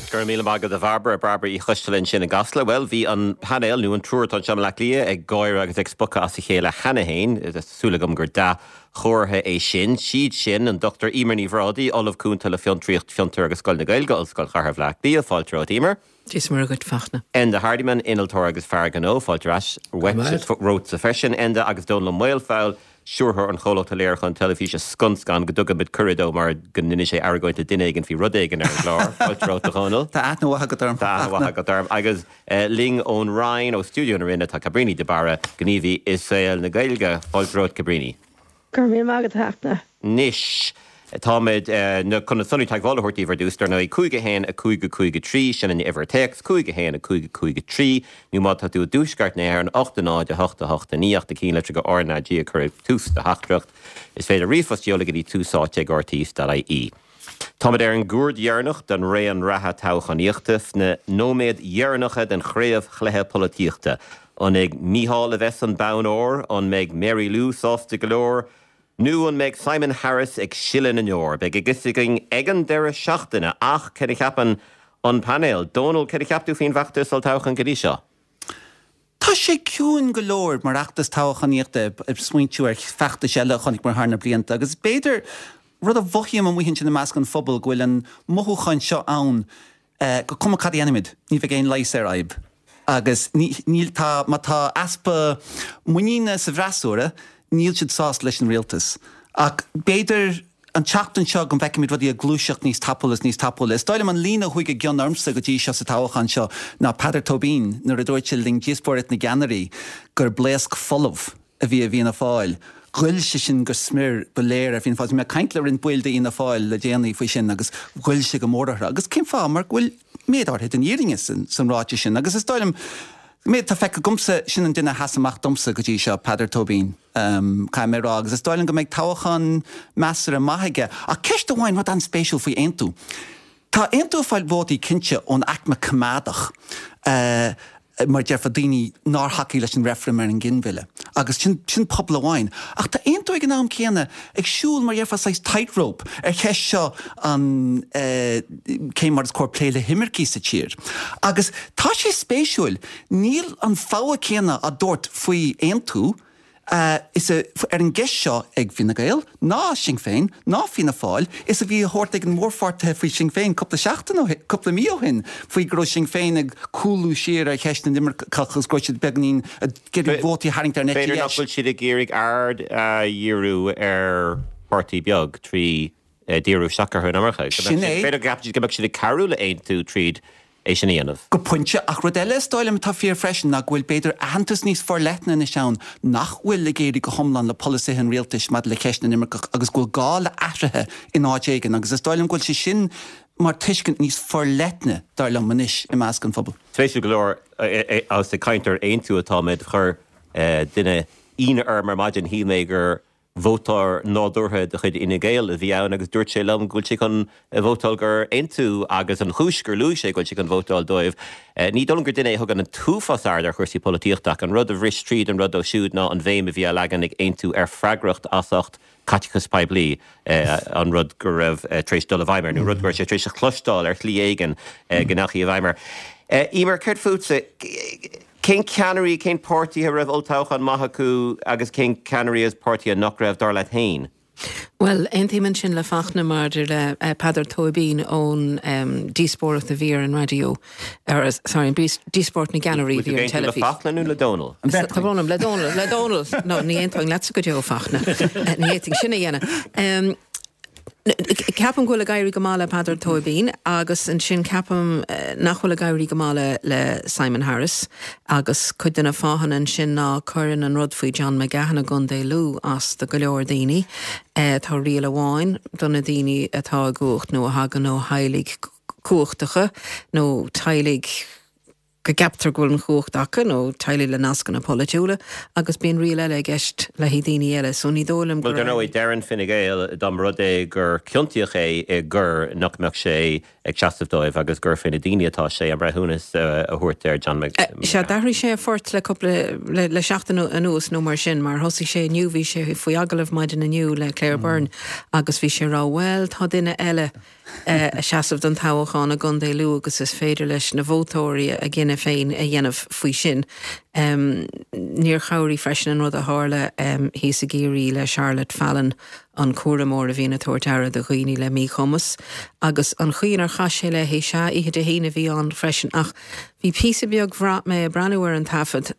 Go raibh míle maith agat a Bhairbre, Bairbre Uí Choisteala ansin i gCasla. Bhuel, bhí an painéal, nó an triúr atá anseo i mBleá Cliath, ag gáire agus ag spochadh as a chéile cheana féin. Tá súil agam gur dea-chomhartha é sin. Siad sin, an Dr Eimear Ní Bhrádaigh, Ollamh Cúnta le Fiontraíocht, Fiontar agus Scoil na Gaeilge, Ollscoil Chathair Bhaile Átha Cliath. Fáilte romhat, Eimear. Dia is Muire dhuit, Fachtna. Enda Hardiman, innealtóir agus fear gnó, fáilte ar ais romhatsa freisin, Enda, agus Dónall Ó Maolfabhail, stiúrthóir an chomhlachta léiriúcháin teilifíse Scun Scan, go dtugaimid cuireadh dó mar go n-inis sé argóint le duine éigin faoi rud éigin ar an gclár. Fáilte romhat, a Dhónaill. Tá aithne mhaith agat orm. Tá aithne mhaith agat orm. Agus linn ón Rinn, ó stiúideo na Rinne, tá Cabríní de Barra, gníomhaí i saol na Gaeilge. Fáilte romhat, Cabríní. Go raibh míle maith agat, a Fhachtna. Anois, táimid chun na sonraí teagmhála a thabhairt daoibh ar dtús, dar ndóigh, 5 1 5 5 3, sin an uimhir téacs, 5 1 5 5 3, nó má tá tú i dtuaisceart na hÉireann, 8 0 8 8 9, ach do chinnlitreacha R ná G a chur ag tús do theachtaireacht. Is féidir ríomhphost a sheoladh go dtí túsáite@rte.ie. Táimid ar an gcuaird dheireanach den raon reatha toghchánaíochta, sna nóiméid dheireanacha den chraobhchluiche polaitíochta. An ag Micheál a bheas an bonn óir? An mbeidh Mary Lou sásta go leor? Nó an mbeidh Simon Harris ag sileadh na ndeor? Beidh a fhios againn ag an deireadh seachtaine, ach céard a cheapann an painéal? Dónal, céard a cheap tú faoin bhfeachtas olltoghcháin go dtí seo? Tá sé ciúin go leor mar fheachtas toghchánaíochta, ag smaointiú ar feachtais eile a chonaiceamar thar na blianta, agus b'fhéidir, rud a mhothaím amuigh ansin i measc an phobail, go bhfuil an mothúchán seo ann gur cuma cad a dhéanaimid, ní bheidh aon leigheas ar fhadhb. Agus níl, tá, má tá easpa muiníne sa bhfreasúra, níl siad sásta leis an rialtas. Ach b'fhéidir an tseachtain seo go bhfeicfimid rudaí ag gluaiseacht níos tapúla is níos tapúla. Is dóigh liom an líne a chuaigh i gcion ormsa go dtí seo sa toghchán seo ná Peadar Tóibín nuair a dúirt sé le linn díospóireacht na gceannairí gur blaosc folamh a bhí i bhFianna Fáil. Ghoill sé sin go smior, ba léir ar Fianna Fáil. Bhí mé ag caint le roinnt baill d'Fhianna Fáil le déanaí faoi sin agus ghoill sé go mór orthu. Agus cén fáth? Mar go bhfuil méid áirithe den fhírinne san ráiteas sin. Agus is dóigh liom, méid atá feicthe agamsa, sin an duine a sheas amach domsa go dtí seo, Peadar Tóibín, caithfidh mé a rá. Agus is dóigh liom go mbeidh toghchán measartha maith aige. Ach ceist amháin, rud an-spéisiúil faoi Aontú. Tá Aontú ag fáil vótaí cinnte ón aicme coimeádach, mar a déarfá, daoine nár thacaigh leis an reifreann ar an nginmhilleadh, agus sin, sin pobal amháin. Ach tá Aontú ag an am céanna ag siúl, mar a déarfá, saghas tightrope ar cheist seo an cé mar is cóir plé le himircigh sa tír. Agus tá sé spéisiúil, níl an fogha céanna á dtabhairt faoi Aontú, is a ar an gceist seo ag Fine Gael, ná Sinn Féin, ná Fianna Fáil, is a bhí á thabhairt ag na mórpháirtithe faoi Sinn Féin cúpla seachtain ó shin, cúpla mí ó shin, faoi go raibh Sinn Féin ag cúlú siar ar cheist na n-imirceach agus go raibh siad beagáinín ag iarraidh vótaí a tharraingt ar an eite B'fhéidir nach dheis. bhfuil siad ag iarraidh aird a dhíriú ar pháirtí beag trí díriú isteach orthu an iomarca. Sin é. B'fhéidir go gceapann siad go mbeadh siad ag cabhrú le Aontú tríd é sin a dhéanamh. Go pointe, ach rud eile is dóigh liom atá fíor freisin ná go bhfuil b'fhéidir aitheantas níos forleithne anois ann nach bhfuil ag éirí go hiomlán le polasaithe an rialtais maidir le ceist na n-imirceach agus go bhfuil gá le athruithe in áit éigin agus is dóigh liom go bhfuil sé sin mar tuiscint níos forleithne, dar liom, anois i measc an phobail. Spéisiúil go leor, agus ag caint ar Aontú atáimid, chuir duine ionadh orm ar maidin, shíl mé gur vótóir nádúrtha de chuid Fhine Gael a bhí ann agus dúirt sé liom go bhfuil sé chun vótáil do Aontú agus an chúis gur luaigh sé go bhfuil sé chun vótáil dóibh, ní dóigh liom gur duine é a thugann an t-uafás aird ar chúrsaí polaitíochta ach an rud a bhris tríd an rud dó siúd ná an bhéim a bhí á leagan ag Aontú ar freagracht as ucht caiteachas poiblí, an rud go raibh tar éis dul i bhfeidhm air nó rud go raibh sé tar éis a chloisteáil ar shlí éigin go ndeachaigh i bhfeidhm air. Eimear, céard fútsa? Cén ceannairí, cén páirtithe a raibh olltoghchán maith acu agus cén ceannairí agus páirtithe nach raibh, dar leat féin? Bhuel, aontaím ansin le Fachtna maidir le Peadar Tóibín ón díospóireacht a bhí ar an raidió, or sorry, an díospóireacht na gceannairí a bhí ar an teilifís. Le Fachtna nó le Dónal? Tá brón orm, le Dónal, le Dónal! No, ní aontóinn leatsa go deo, Fachtna. Ní fhéadfainn sin a dhéanamh. Ceapaim go bhfuil ag éirí go maith le Peadar Tóibín agus ansin ceapaim nach bhfuil ag éirí go maith le Simon Harris agus cuid de na fáthanna ansin ná cuireann an rud faoi John McGahon i gContae Lú as do go leor daoine. Tá riail amháin do na daoine atá i gcumhacht nó a thagann ó theaghlaigh cumhachtacha nó teaghlaigh. go gceaptar go bhfuil an chumhacht acu, nó teaghlaigh le nascanna polaitiúla, agus bíonn riail eile i gceist le haghaidh daoine eile. So ní dóigh liom Bhuel, gur dar ndóigh, deireann Fine Gael dá mba rud é gur ciontaíodh é i gcoir nach mbeadh sé ag seasamh dóibh agus gur faoi na daoine atá sé an breithiúnas a thabhairt ar John McGahon. Sea, d'athraigh sé a phort le cúpla, le seachtain anuas nó mar sin, mar thosaigh sé inniu, bhí sé faoi agallamh maidin inniu le Claire Byrne agus bhí sé ag rá, bhuel, tá duine eile ag seasamh don toghchán i gContae Lú agus is féidir leis na vótóirí a gcinneadh féin a dhéanamh faoi sin. Níor chabhraigh freisin an rud a tharla thíos i gCiarraí le Charlotte Fallon, an cúramóir a bhíonn ag tabhairt aire do dhaoine le míchumas, agus an chaoi inar chaith sé léi, sea, oíche Dé hAoine a bhí ann freisin, ach bhí píosa beag, bhraith mé ag breathnú ar an taifead,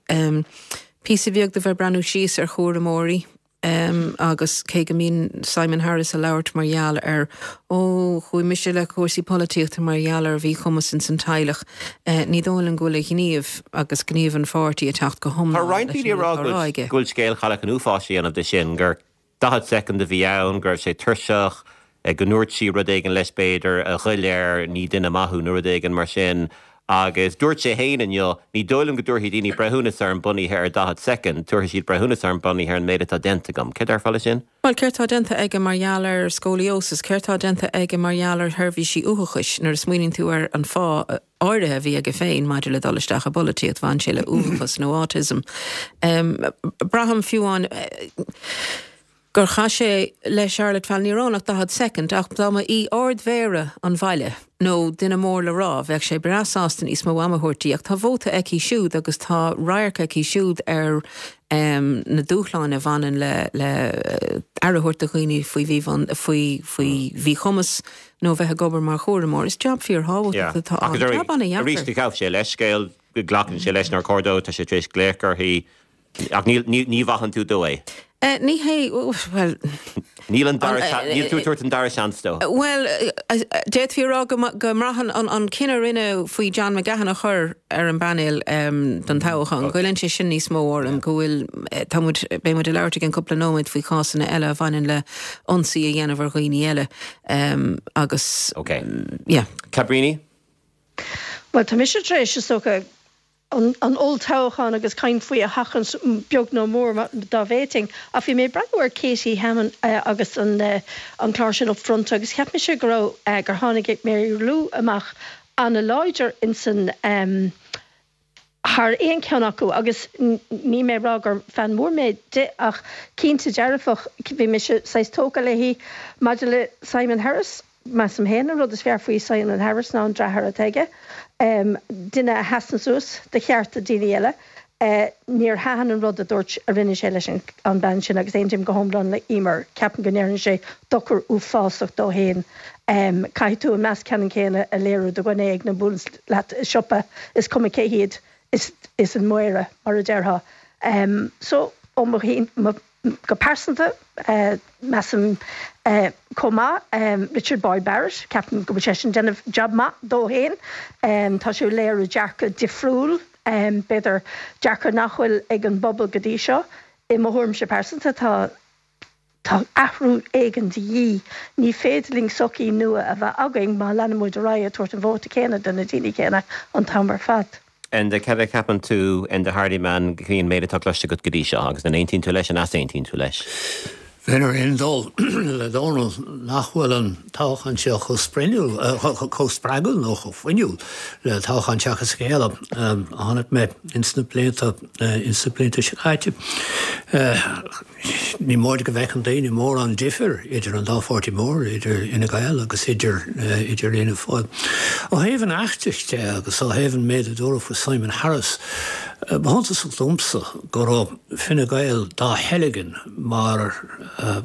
píosa beag de bheith ag breathnú síos ar chúramóirí, agus cé go mbíonn Simon Harris ag labhairt mar gheall ar, ó, chuaigh mise le cúrsaí polaitíochta mar gheall ar mhíchumas ins an teaghlach, ní dóigh liom go bhfuil a ghníomh agus gníomh an pháirtí ag teacht go Tá hiomlán roinnt leis daoine an ag rá rud atá á rá aige. go bhfuil scéal chailleach an uafáis a dhéanamh de sin, gur 40 soicind a bhí ann, go raibh sé tuirseach, go ndúirt sí rud éigin leis b'fhéidir, a ghoill air, ní duine maith thú nó rud éigin mar sin. Agus dúirt sé féin inniu, ní dóigh liom go dtabharfaidh daoine breithiúnas orm bunaithe ar 40 soicind, tabharfaidh siad breithiúnas orm bunaithe ar an méid atá déanta agam. Céard a déarfá leis sin? Bhuel, céard tá déanta aige mar gheall ar scoliosis? Céard tá déanta aige mar gheall ar sheirbhísí uathachais? Nuair a smaoiníonn tú ar an fáth áirithe a bhí aige féin maidir le dul isteach i bpolaitíocht, bhain sé le uathachas nó autism. Braithim fiú amháin gur chaith sé le Charlotte Fallon, ní raibh ann ach 40 soicind, ach dá mba í Ard-Mhéara an bhaile nó duine mór le rá, bheadh sé breá sásta níos mó ama a thabhairt di, ach tá vóta aici siúd agus tá radharc aici siúd ar na dúshláin a bhaineann le le aire a thabhairt do dhaoine faoi faoi mhíchumas. nó bheith ag obair mar chúramóir. Is jab fíorthábhachtach atá ann. Jab an-dheacair. Arís, ghabh sé leithscéal, glacann sé leis nár chóir dó, tá sé tar éis glaoch uirthi, ach ní mhaitheann tú dó é. Ní hé, bhuel. Níl an dara, níl tú ag tabhairt an dara seans dó. Bhuel, d'fhéadfaí a rá go mbraitheann an cinneadh a rinneadh faoi John McGahon a chur ar an bpainéal don toghchán, goilleann sé sin níos mó orm, go bhfuil, tá muid, beidh muid ag labhairt i gceann cúpla nóiméad faoi chásanna eile a bhaineann le ionsaí a dhéanamh ar dhaoine eile. Agus, Ok. yeah. Cabríní? Bhuel, tá mise tar éis, is dócha, an olltoghchán agus caint faoi a sheachaint beag nó mór dá bhféadfainn. Ach bhí mé ag breathnú ar Katie Hammond agus an an clár sin Upfront agus cheap mise go raibh, gur tháinig Mary Lou amach an-láidir insan thar aon cheann acu agus níl mé ag rá gur fan mór mé di ach cinnte dearfach bhí mise saghas tógtha léi. Maidir le Simon Harris, measaim féin an rud is fearr faoi Simon Harris ná an deartháir atá aige, duine a sheasann suas do chearta daoine eile. Níor thaitin an rud a dúirt, a rinne sé leis an bean sin agus aontaím go hiomlán le Emer, ceapaim go ndearna sé dochar uafásach dó féin. Caithfidh tú an meas ceannann céanna a léiriú do dhuine éigin a bhuaileanns leat i siopa, is cuma cé hiad, is an Méara, mar a déarfá. So, ó mo, mo, go pearsanta, measaim chomh maith Richard Boyd Barrett, ceapaim go bhfuil seisean ag déanamh jab maith dó féin. Tá sé ag léiriú dearcadh difriúil, b'fhéidir dearcadh nach bhfuil ag an bpobal go dtí seo. I mo thuairimse pearsanta, tá. Tá athrú éigin de dhíth. Ní féidir linn sochaí nua a bheith againn má leanann muid ar aghaidh ag tabhairt an vóta céanna do na daoine céanna an t-am ar fad. Enda, cad a cheapann tú, Enda Hardiman, faoin méid atá cloiste agat go dtí seo agus an aontaíonn tú leis, an easaontaíonn tú leis? Bheinn ar aon dul le Dónal nach bhfuil an toghchán seo chomh spreagúil nó chomh fuinniúil le toghchán seachas a chéile a chonaic mé ins na blianta ins na blianta seo caite. Ní móide go bhfeiceann daoine mórán difir idir an dá pháirtí mór, idir Fhine Gael agus idir idir Fhianna Fáil. Ó thaobh an fheachtais de agus ó thaobh an méid a dúradh faoi Simon Harris, ba shuntasach domsa go raibh Fine Gael dá theilgean mar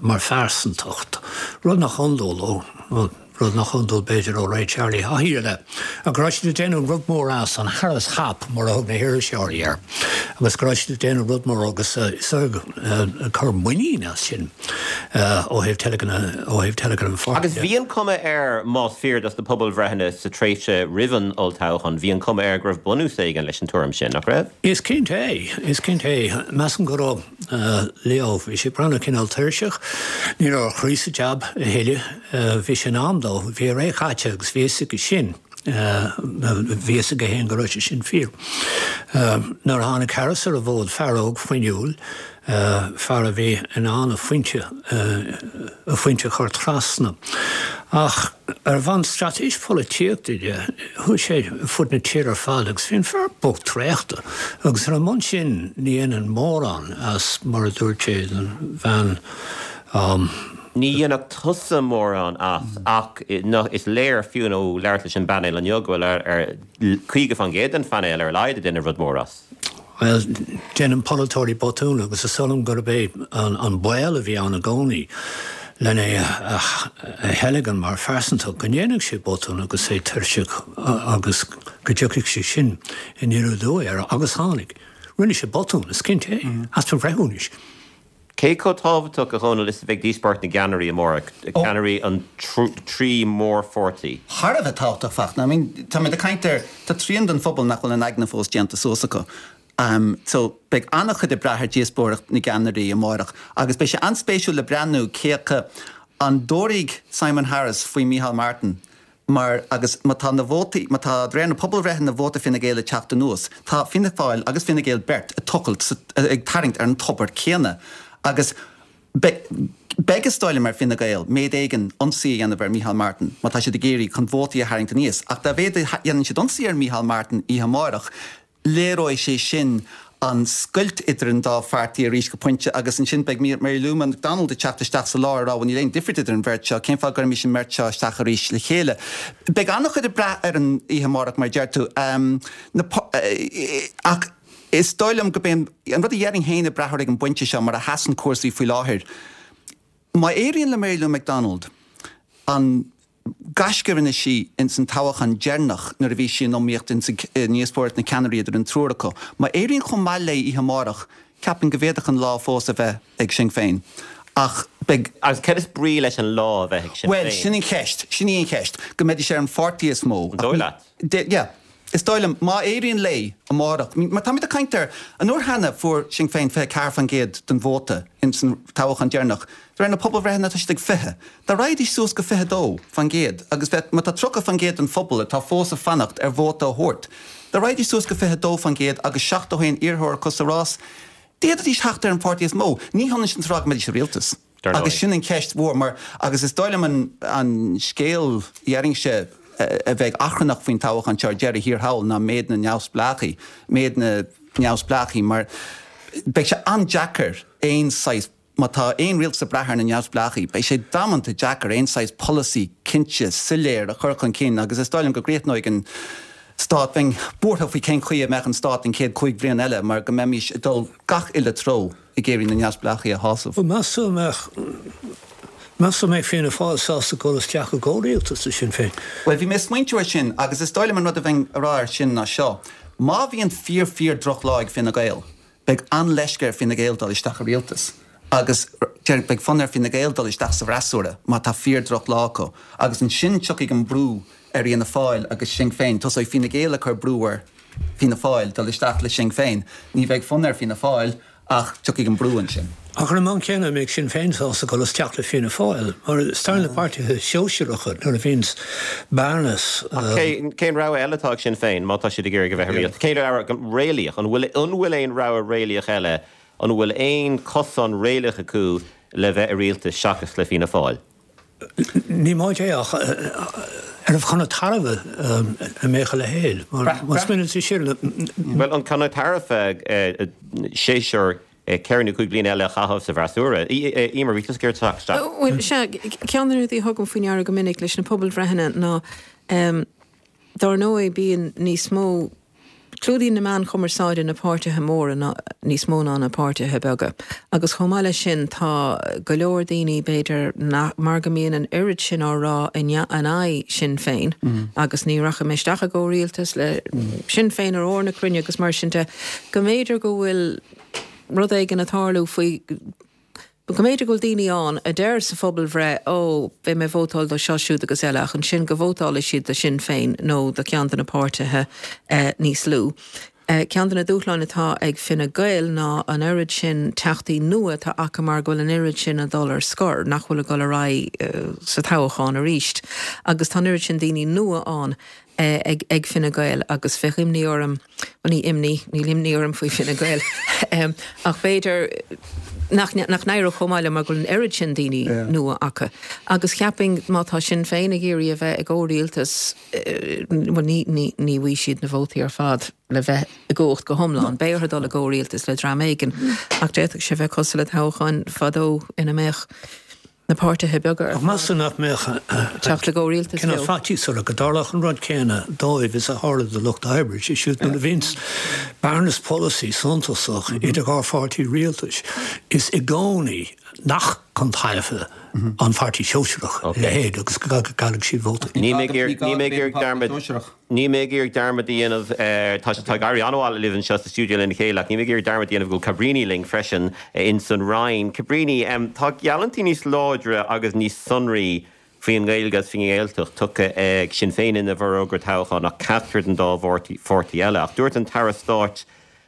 mar phearsantacht, rud nach iondúil ó rud nach iondúil b'fhéidir ó ré Charlie Haughey i leith, ach go raibh siad ag déanamh rud mór as, an Harris Hop mar a thug na hiriseoirí air, agus go raibh siad ag déanamh rud mór agus is ag cur muinín as sin ó thaobh teilgean ó thaobh teilgean an pháirtí Agus bhí an cuma air, más fíor dos na pobalbhreitheanna sa tréimhse roimh an olltoghchán, bhí an cuma air go raibh bunús éigin leis an tuairim sin, nach raibh? Is cinnte é, is cinnte é. Measaim go raibh. Leo. Bhí sé ag breathnú cineál tuirseach. Ní raibh a chroí sa jab a thuilleadh. Bhí sé in am dó. Bhí a ré caite agus bhí a fhios aige sin. Bhí a fhios aige féin go raibh sé sin fíor. Nuair a tháinig Harris ar an bhfód, fear óg fuinniúil, fear a bhí in ann a phointe, a phointe a chur trasna. Ach ar bhonn straitéis polaitíochta de, chuaigh sé ar fud na tíre ar fad agus bhí an fear bocht traochta. Agus ar an mbonn sin ní dhéanfainn mórán as, mar a dúirt sé don bhean. Ní dhéanfadh tusa mórán as ach is léir fiú ó labhairt leis an bpainéal inniu go bhfuil ar 50% den phainéal ar a laghad ag déanamh rud mór as. Bhuel, déanann polaiteoirí botúin agus is dóigh liom gurb é an baol a bhí ann i gcónaí lena é a theilgean mar phearsantacht, go ndéanfadh sé botún agus é tuirseach agus go dtiocfadh sé sin aniar aduaidh air agus tháinig. Rinne sé botún, is cinnte é, easpa breithiúnais. Cé chomh tábhachtach, a Dhónaill, is a bheidh díospóireacht na gceannairí amárach, ceannairí an trí mhórpháirtí? Thar a bheith tábhachtach, Fachtna. I mean, táimid ag caint ar, tá trian den phobal nach bhfuil a n-aigne fós déanta suas acu. So, beidh an-chuid ag brath ar dhíospóireacht na gceannairí amárach agus beidh sé an-spéisiúil le breathnú cé acu an dtabharfaidh Simon Harris faoi Micheál Martin Mar, agus má tá na vótaí, má tá, de réir na pobalbhreitheanna vóta Fine Gael ag teacht anuas, tá Fianna Fáil agus Fine Gael beirt ag tochailt sa, ag tarraingt ar an tobar céanna. Agus beidh, beidh is dóigh liom ar Fine Gael méid éigin ionsaí a dhéanamh ar Micheál Martin má tá siad ag iarraidh chun vótaí a tharraingt aníos. Ach dá mhéad a dhéanann siad ionsaí ar Micheál Martin oíche amárach, Léireoidh sé sin an scoilt idir an dá pháirtí arís go pointe agus ansin beidh Mary Lou McDonald ag teacht isteach sa lár ag rá bhuel níl aon difríocht idir an bheirt seo, cén fáth a gcuirfimis an mbeirt seo isteach arís le chéile? Beidh an-chuid ag brath ar an oíche amárach mar a deir tú. Ach is dóigh liom gurb é an rud a dhéarfainn féin ag brath air ag an bpointe seo mar a sheasann cúrsaí faoi láthair, má éiríonn le Mary Lou McDonald an gaisce a rinne sí ins an toghachán deireanach nuair a bhí sí in iomaíocht ins an ndíospóireacht na ceannairí idir an triúr acu. Má éiríonn chomh maith léi oíche amárach, ceapaim go bhféadfadh an lá fós a bheith ag Sinn Féin. Ach beidh. Agus céard is brí leis an lá a bheith ag Sinn Féin? Bhuel, sin an cheist. Sin í an cheist. Go mbeidís ar an pháirtí is mó. An dóigh leat? Yeah. Is dóigh liom, má éiríonn léi amárach, mar táimid ag caint ar, an uair cheana fuair Sinn Féin 24% den vóta ins an toghachán deireanach, de réir na pobalbhreitheanna tá siad ag 20. Dá raghaidís suas go 22% agus bheadh, má tá 30% den phobal atá fós ag fanacht ar vóta a thabhairt, dá raghaidís suas go 22% agus 71 iarrthóir acu sa rás, d'fhéadfaidís theacht ar an pháirtí is mó. Ní hionann sin is a rá go mbeidís i rialtas. Agus sin an cheist mhór mar, agus is dóigh liom an an scéal, déarfainnse, a bheidh achrannach faoin toghachán seo ar deireadh thiar thall ná méid na neamhspleáchaí, méid na neamhspleáchaí mar beidh sé an-deacair aon saghas, má tá aon rialtas ag brath ar na neamhspleáchaí, beidh sé damanta deacair aon saghas polasaí cinnte, soiléir a chur chun cinn agus is dóigh liom go gcríochnóidh an stát, bheinn buartha faoi cén chaoi a mbeadh an stát an chéad chúig bhliain eile mar go mbeimis ag dul gach uile treo. ag iarraidh na neamhspleáchaí a shásamh. Meas tú an mbeadh, meas tú an mbeadh Fianna Fáil sásta dul isteach i gcomhrialtas le Sinn Féin? Bhuel, bhí mé ag smaointiú air sin agus is dóigh liom an rud a bheinn a rá air sin ná seo, má bhíonn fíor fíor droch lá ag Fine Gael, beidh an-leisce ar Fine Gael dul isteach i rialtas agus beidh fonn ar Fine Gael dul isteach sa bhfreasúra má tá fíor droch lá acu agus ansin tiocfaidh an brú ar Fhianna Fáil agus Sinn Féin, tosóidh Fine Gael ag cur brú ar Fianna Fáil dul isteach le Sinn Féin. Ní bheidh fonn ar Fianna Fáil ach tiocfaidh an brú ansin. Ach ar an mbonn céanna, an mbeidh Sinn Féin sásta dul isteach le Fianna Fáil? Mar is dar le páirtithe sóisearacha nuair a bhíonns bearnas. Ach cén rogha eile atá ag Sinn Féin má tá siad ag iarraidh a bheith i rialtas? Cén rogha réalaíoch? An bhfuil an bhfuil aon rogha réalaíoch eile? An bhfuil aon cosán réalaíoch acu le bheith i rialtas seachas le Fianna Fáil? Ní móide é ach arbh chun a tairbhe a mbeadh a leithéid? Mar má smaoiníonn tú siar le. Bhuel, an chun a tairbhe séasúr ceithre nó cúig bliana eile a chaitheamh sa bhfreasúra? Emer, bhí tusa ag iarraidh teacht isteach. Bhuel, sea, ceann de na rudaí a thugaim faoi ndeara go minic leis na pobalbhreitheanna ná, dár ndóigh, bíonn níos mó, Clúdaíonn na meáin chumarsáide na páirtithe móra níos mó ná na páirtithe beaga. Agus chomh maith leis sin tá go leor daoine, b'fhéidir, nach, mar go mbíonn an oiread sin á rá in aghaidh Sinn Féin agus ní rachaidh mé isteach i gcomhrialtas le Sinn Féin ar ór na cruinne agus mar sin de, go mb'fhéidir go bhfuil rud éigin ag tarlú faoi, Go mb'fhéidir go bhfuil daoine ann a deir sa phobalbhreith 'ó, beidh mé ag vótáil do seo, siúd agus eile' ach ansin go vótálfaidh siad do Shinn Féin nó do cheann de na páirtithe níos lú. Ceann de na dúshláin atá ag Fine Gael ná an oiread sin teachtaí nua atá acu mar go bhfuil an oiread sin ag dul ar scor, nach bhfuil ag dul ar aghaidh sa toghchán arís agus tá an oiread sin daoine nua ann. Ag Fine Gael agus bheadh imní orm, bhuel ní imní, níl imní orm faoi Fine Gael, ach b'fhéidir nach n-éireodh chomh maith leo mar go bhfuil an oiread sin daoine nua acu. Agus cheapfainn má tá Sinn Féin ag iarraidh a bheith i gcomhrialtas, bhuel ní, ní, ní bhfaighidh siad na vótaí ar fad le bheith i gcumhacht go hiomlán. Beidh orthu dul i gcomhrialtas le dream éigin ach d'fhéadfadh sé bheith cosúil le toghcháin fadó ina mbeadh na páirtithe beaga ar Ach meas tú nach mbeadh teacht i gcomhrialtas cineál leo. faitíos orthu go dtarlódh an rud céanna dóibh is a tharla do Lucht Oibre, sé siúd nuair a bhíonns bearnas polasaí suntasach idir dhá pháirtí rialtais, is i gcónaí nach chun tairbhe an Pháirtí Shóisialach a leithéid agus go gcaillfidh siad vótaí. Níl mé ag iarraidh dearmad. Níl mé ag iarraidh dearmad a dhéanamh, tá sé, tá ag éirí an-mhaith libh anseo sa stiúideo lena chéile, ach níl mé ag iarraidh dearmad a dhéanamh go bhfuil Cabríní linn freisin ins an Rinn. Cabríní, tá geallúintí níos láidre agus níos sonraí faoin nGaeilge agus faoin nGaeltacht tugtha ag Sinn Féin ina bhforógra toghcháin ná ceachtar den dá pháirtí eile. Ach dúirt an tAire Stáit,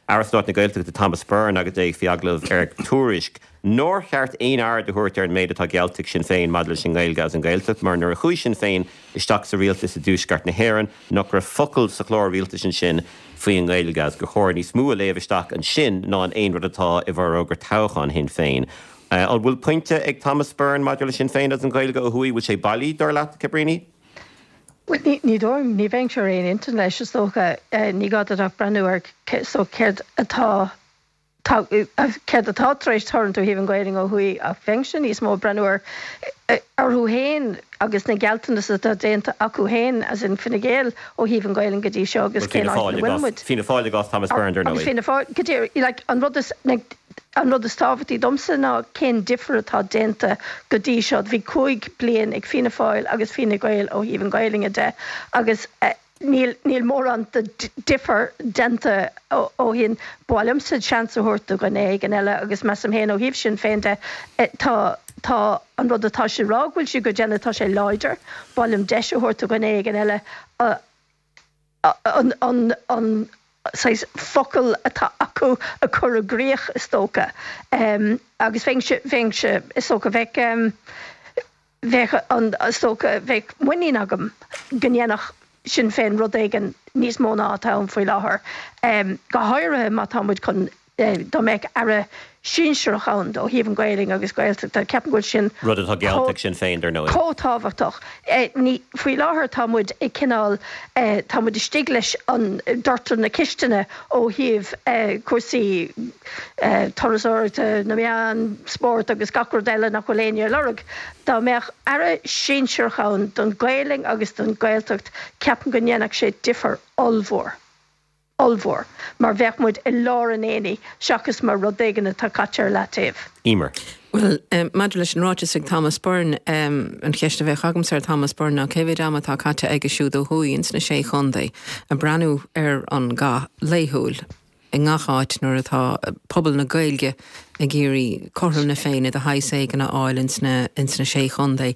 Aire Stáit na Gaeltachta Thomas Byrne agus é faoi agallamh ar Tuairisc nár cheart aon aird a thabhairt ar an méid atá geallta ag Sinn Féin maidir leis an nGaeilge agus an Ghaeltacht mar nuair a chuaigh Sinn Féin isteach sa rialtas i dTuaisceart na hÉireann nach raibh focal sa chlár rialtais ansin faoin nGaeilge agus gur chóir níos mó a léamh isteach ansin ná in aon rud atá i bhforógra toghcháin Shinn Féin. An bhfuil pointe ag Thomas Byrne maidir le Sinn Féin agus an Ghaeilge ó thuaidh? Bhfuil sé bailí, dar leat, Cabríní? Bhuel, ní, ní dóigh liom, ní bheinnse ar aon intinn leis, is dócha. Ní gá duit ach breathnú ar so céard atá, tá, céard atá tar éis tarlúint ó thaobh an Ghaelainn ó thuaidh ach bheinnse níos mó ag breathnú ar, orthu féin agus na gealltanais atá déanta acu féin, as in Fine Gael, ó thaobh an Ghaelainn go dtí seo agus Bhuel, cén Fianna áit Fáil ina i bhfuil gcás, muid. Fianna Fáil i gcás Thomas Byrne, dar Agus ndóigh. Fianna Fáil, go díreach, like, an rud is, like, An rud is tábhachtaí domsa ná cén difear atá déanta go dtí seo. Bhí 5 bliain ag Fianna Fáil agus Fine Gael ó thaobh an Ghaelainne de agus níl níl mórán de difear déanta ó shin. Ba mhaith liomsa seans a thabhairt do dhuine éigin eile agus measaim féin ó thaobh Sinn Féin de tá tá an rud atá siad ag rá go bhfuil siad ag déanamh tá sé láidir. Ba mhaith liom deis a thabhairt do dhuine éigin eile an an saghas focal atá acu a chur i gcrích, is dócha. Agus bheinnse, bheinnse, is dócha, bheadh, bheadh an, is dócha, bheadh muinín agam go ndéanfadh Sinn Féin rud éigin níos mó ná atá ann faoi láthair, go háirithe má tá muid chun dá mbeadh aire sinsearach ann ó thaobh an Ghaelainn agus Gaeltachta, ceapaim go bhfuil sin Rud atá geallta ag Sinn Féin, dar ndóigh. chomh tábhachtach. Ní, faoi láthair tá muid ag cineál, tá muid istigh leis an doirteal na cistine ó thaobh cúrsaí turasóireachta, na meán, spórt agus gach rud eile nach bhfuil éinne ag lorg. Dá mbeadh aire sinsearach ann don Ghaelainn agus don Ghaeltacht, ceapaim go ndéanfadh sé difear ollmhór. ollmhór, mar bheadh muid i lár an aonaigh seachas mar rud éigin atá caite ar leataobh. Emer. Bhuel, maidir leis an ráiteas ag Thomas Byrne, an cheist a bheadh agamsa ar Thomas Byrne ná cé mhéid ama atá caite aige siúd ó thuaidh ins na Sé Chontae ag breathnú ar an gcath laethúil i ngach áit nuair atá pobal na Gaeilge ag iarraidh cothrom na Féinne de shaghas éigin a fháil ins na ins na Sé Chontae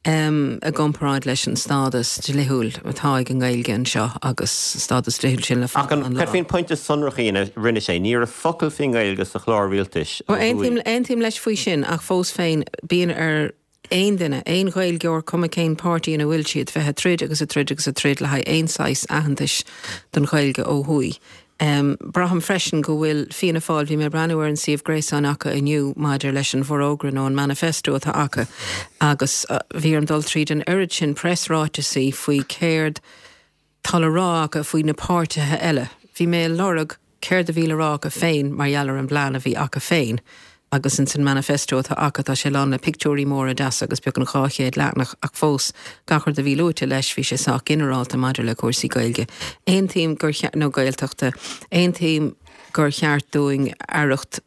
i gcomparáid leis an stádas dlíthiúil atá ag an nGaeilge anseo agus stádas dlíthiúil sin le Ach fada an an lá. cad faoin pointe sonrach a rinne sé? Ní raibh focal faoin nGaeilge sa chlár rialtais ó Bhuel, thuaidh. aontaím leis faoi sin ach fós féin bíonn ar aon duine, aon Ghaeilgeoir, cuma cén páirtí ina bhfuil siad, bheith ag troid agus ag troid agus ag troid le haghaidh aon saghas aitheantais don Ghaeilge ó thuaidh. Braithim freisin go bhfuil Fianna Fáil, bhí mé ag breathnú ar an suíomh gréasáin acu inniu maidir leis an bhforógra nó an manifesto atá acu agus bhí orm dul tríd an oiread sin preasráiteasaí faoi céard tá le rá acu faoi na páirtithe eile. Bhí mé ag lorg céard a bhí le rá acu féin mar gheall ar an bplean a bhí acu féin agus ins an manifesto atá acu tá sé lán le pictiúirí móra deasa agus beagnach 200 leathanach ach fós gach rud a bhí luaite leis bhí sé sách ginearálta maidir le cúrsaí Gaeilge. Aontaím gur, nó Gaeltachta, aontaím gur cheart dúinn aireacht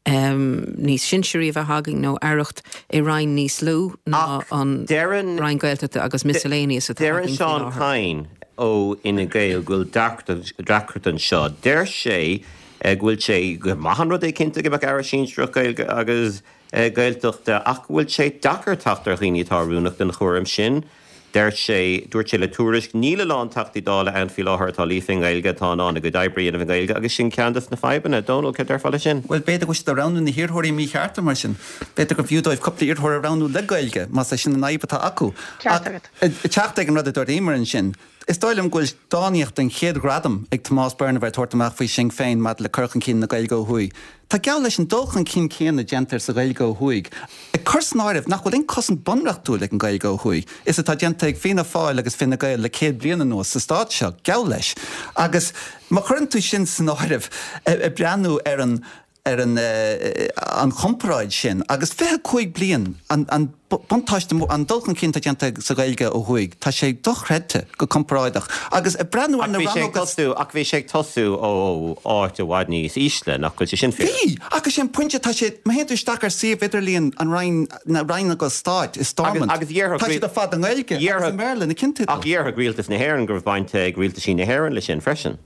níos sinsearaí a bheith againn nó aireacht i roinn níos lú ná an Deireann Roinn Gaeltachta agus miscellaneous atá Deireann againn faoi Seán láthair. Kyne ó Fhine Gael go bhfuil deacracht anseo. Deir sé go bhfuil sé gur maith an rud é cinnte go mbeadh aire sinsearach Gaeilge agus Gaeltachta ach go bhfuil sé deacair teacht ar dhaoine atá oiriúnach don chúram sin. Deir sé, dúirt sé le Tuairisc, níl a lán Teachtaí Dála ann faoi láthair atá líofa i nGaeilge, atá in ann a gcuid oibre a dhéanamh i nGaeilge agus sin ceann des na fadhbanna. Dónal, céard déarfá leis sin? Bhuel, b'fhéidir go bhfuil siad ag roghnú na hiarrthóirí míchearta mar sin. B'fhéidir gur bhfiú dóibh cúpla iarrthóir a roghnú le Gaeilge, más é sin an fhadhb atá acu. Ceart agat. Ach ag teacht ag an rud a dúirt Emer ansin. Is dóigh liom go bhfuil dánaíocht den chéad ghradam ag Tomás Byrne a bheith ag tabhairt amach faoi Sinn Féin maidir le cur chun cinn na Gaeilge ó thuaidh. Tá geall leis an dul chun cinn céanna déanta sa Ghaeilge ó thuaidh, ag cur san áireamh nach bhfuil aon cosaint bunreachtúil ag an Ghaeilge ó thuaidh, is atá déanta ag Fianna Fáil agus Fine Gael le 100 bliain anuas sa stát seo, geall leis. Agus má chuireann tú sin san áireamh, ag breathnú ar an ar an an chomparáid sin, agus 25 bliain, an an buntáiste mór, an dul chun cinn atá déanta sa Ghaeilge ó thuaidh, tá sé dochreidte go comparáideach. Agus ag breathnú ar na rannóga. Ach bhí sé ag tosú ó áit i bhfad níos ísle, nach bhfuil sé sin fíor? Bhí! Ach is é an pointe, tá sé, má théann tú isteach ar suíomh idirlíon an Roinn, na Rannóga Stáit i Stormont, tá siad ar fad i nGaeilge agus i mBéarla, na cinnteidil. Ach dhéarfadh Rialtas na hÉireann go raibh baint ag rialtaisí na hÉireann leis sin freisin.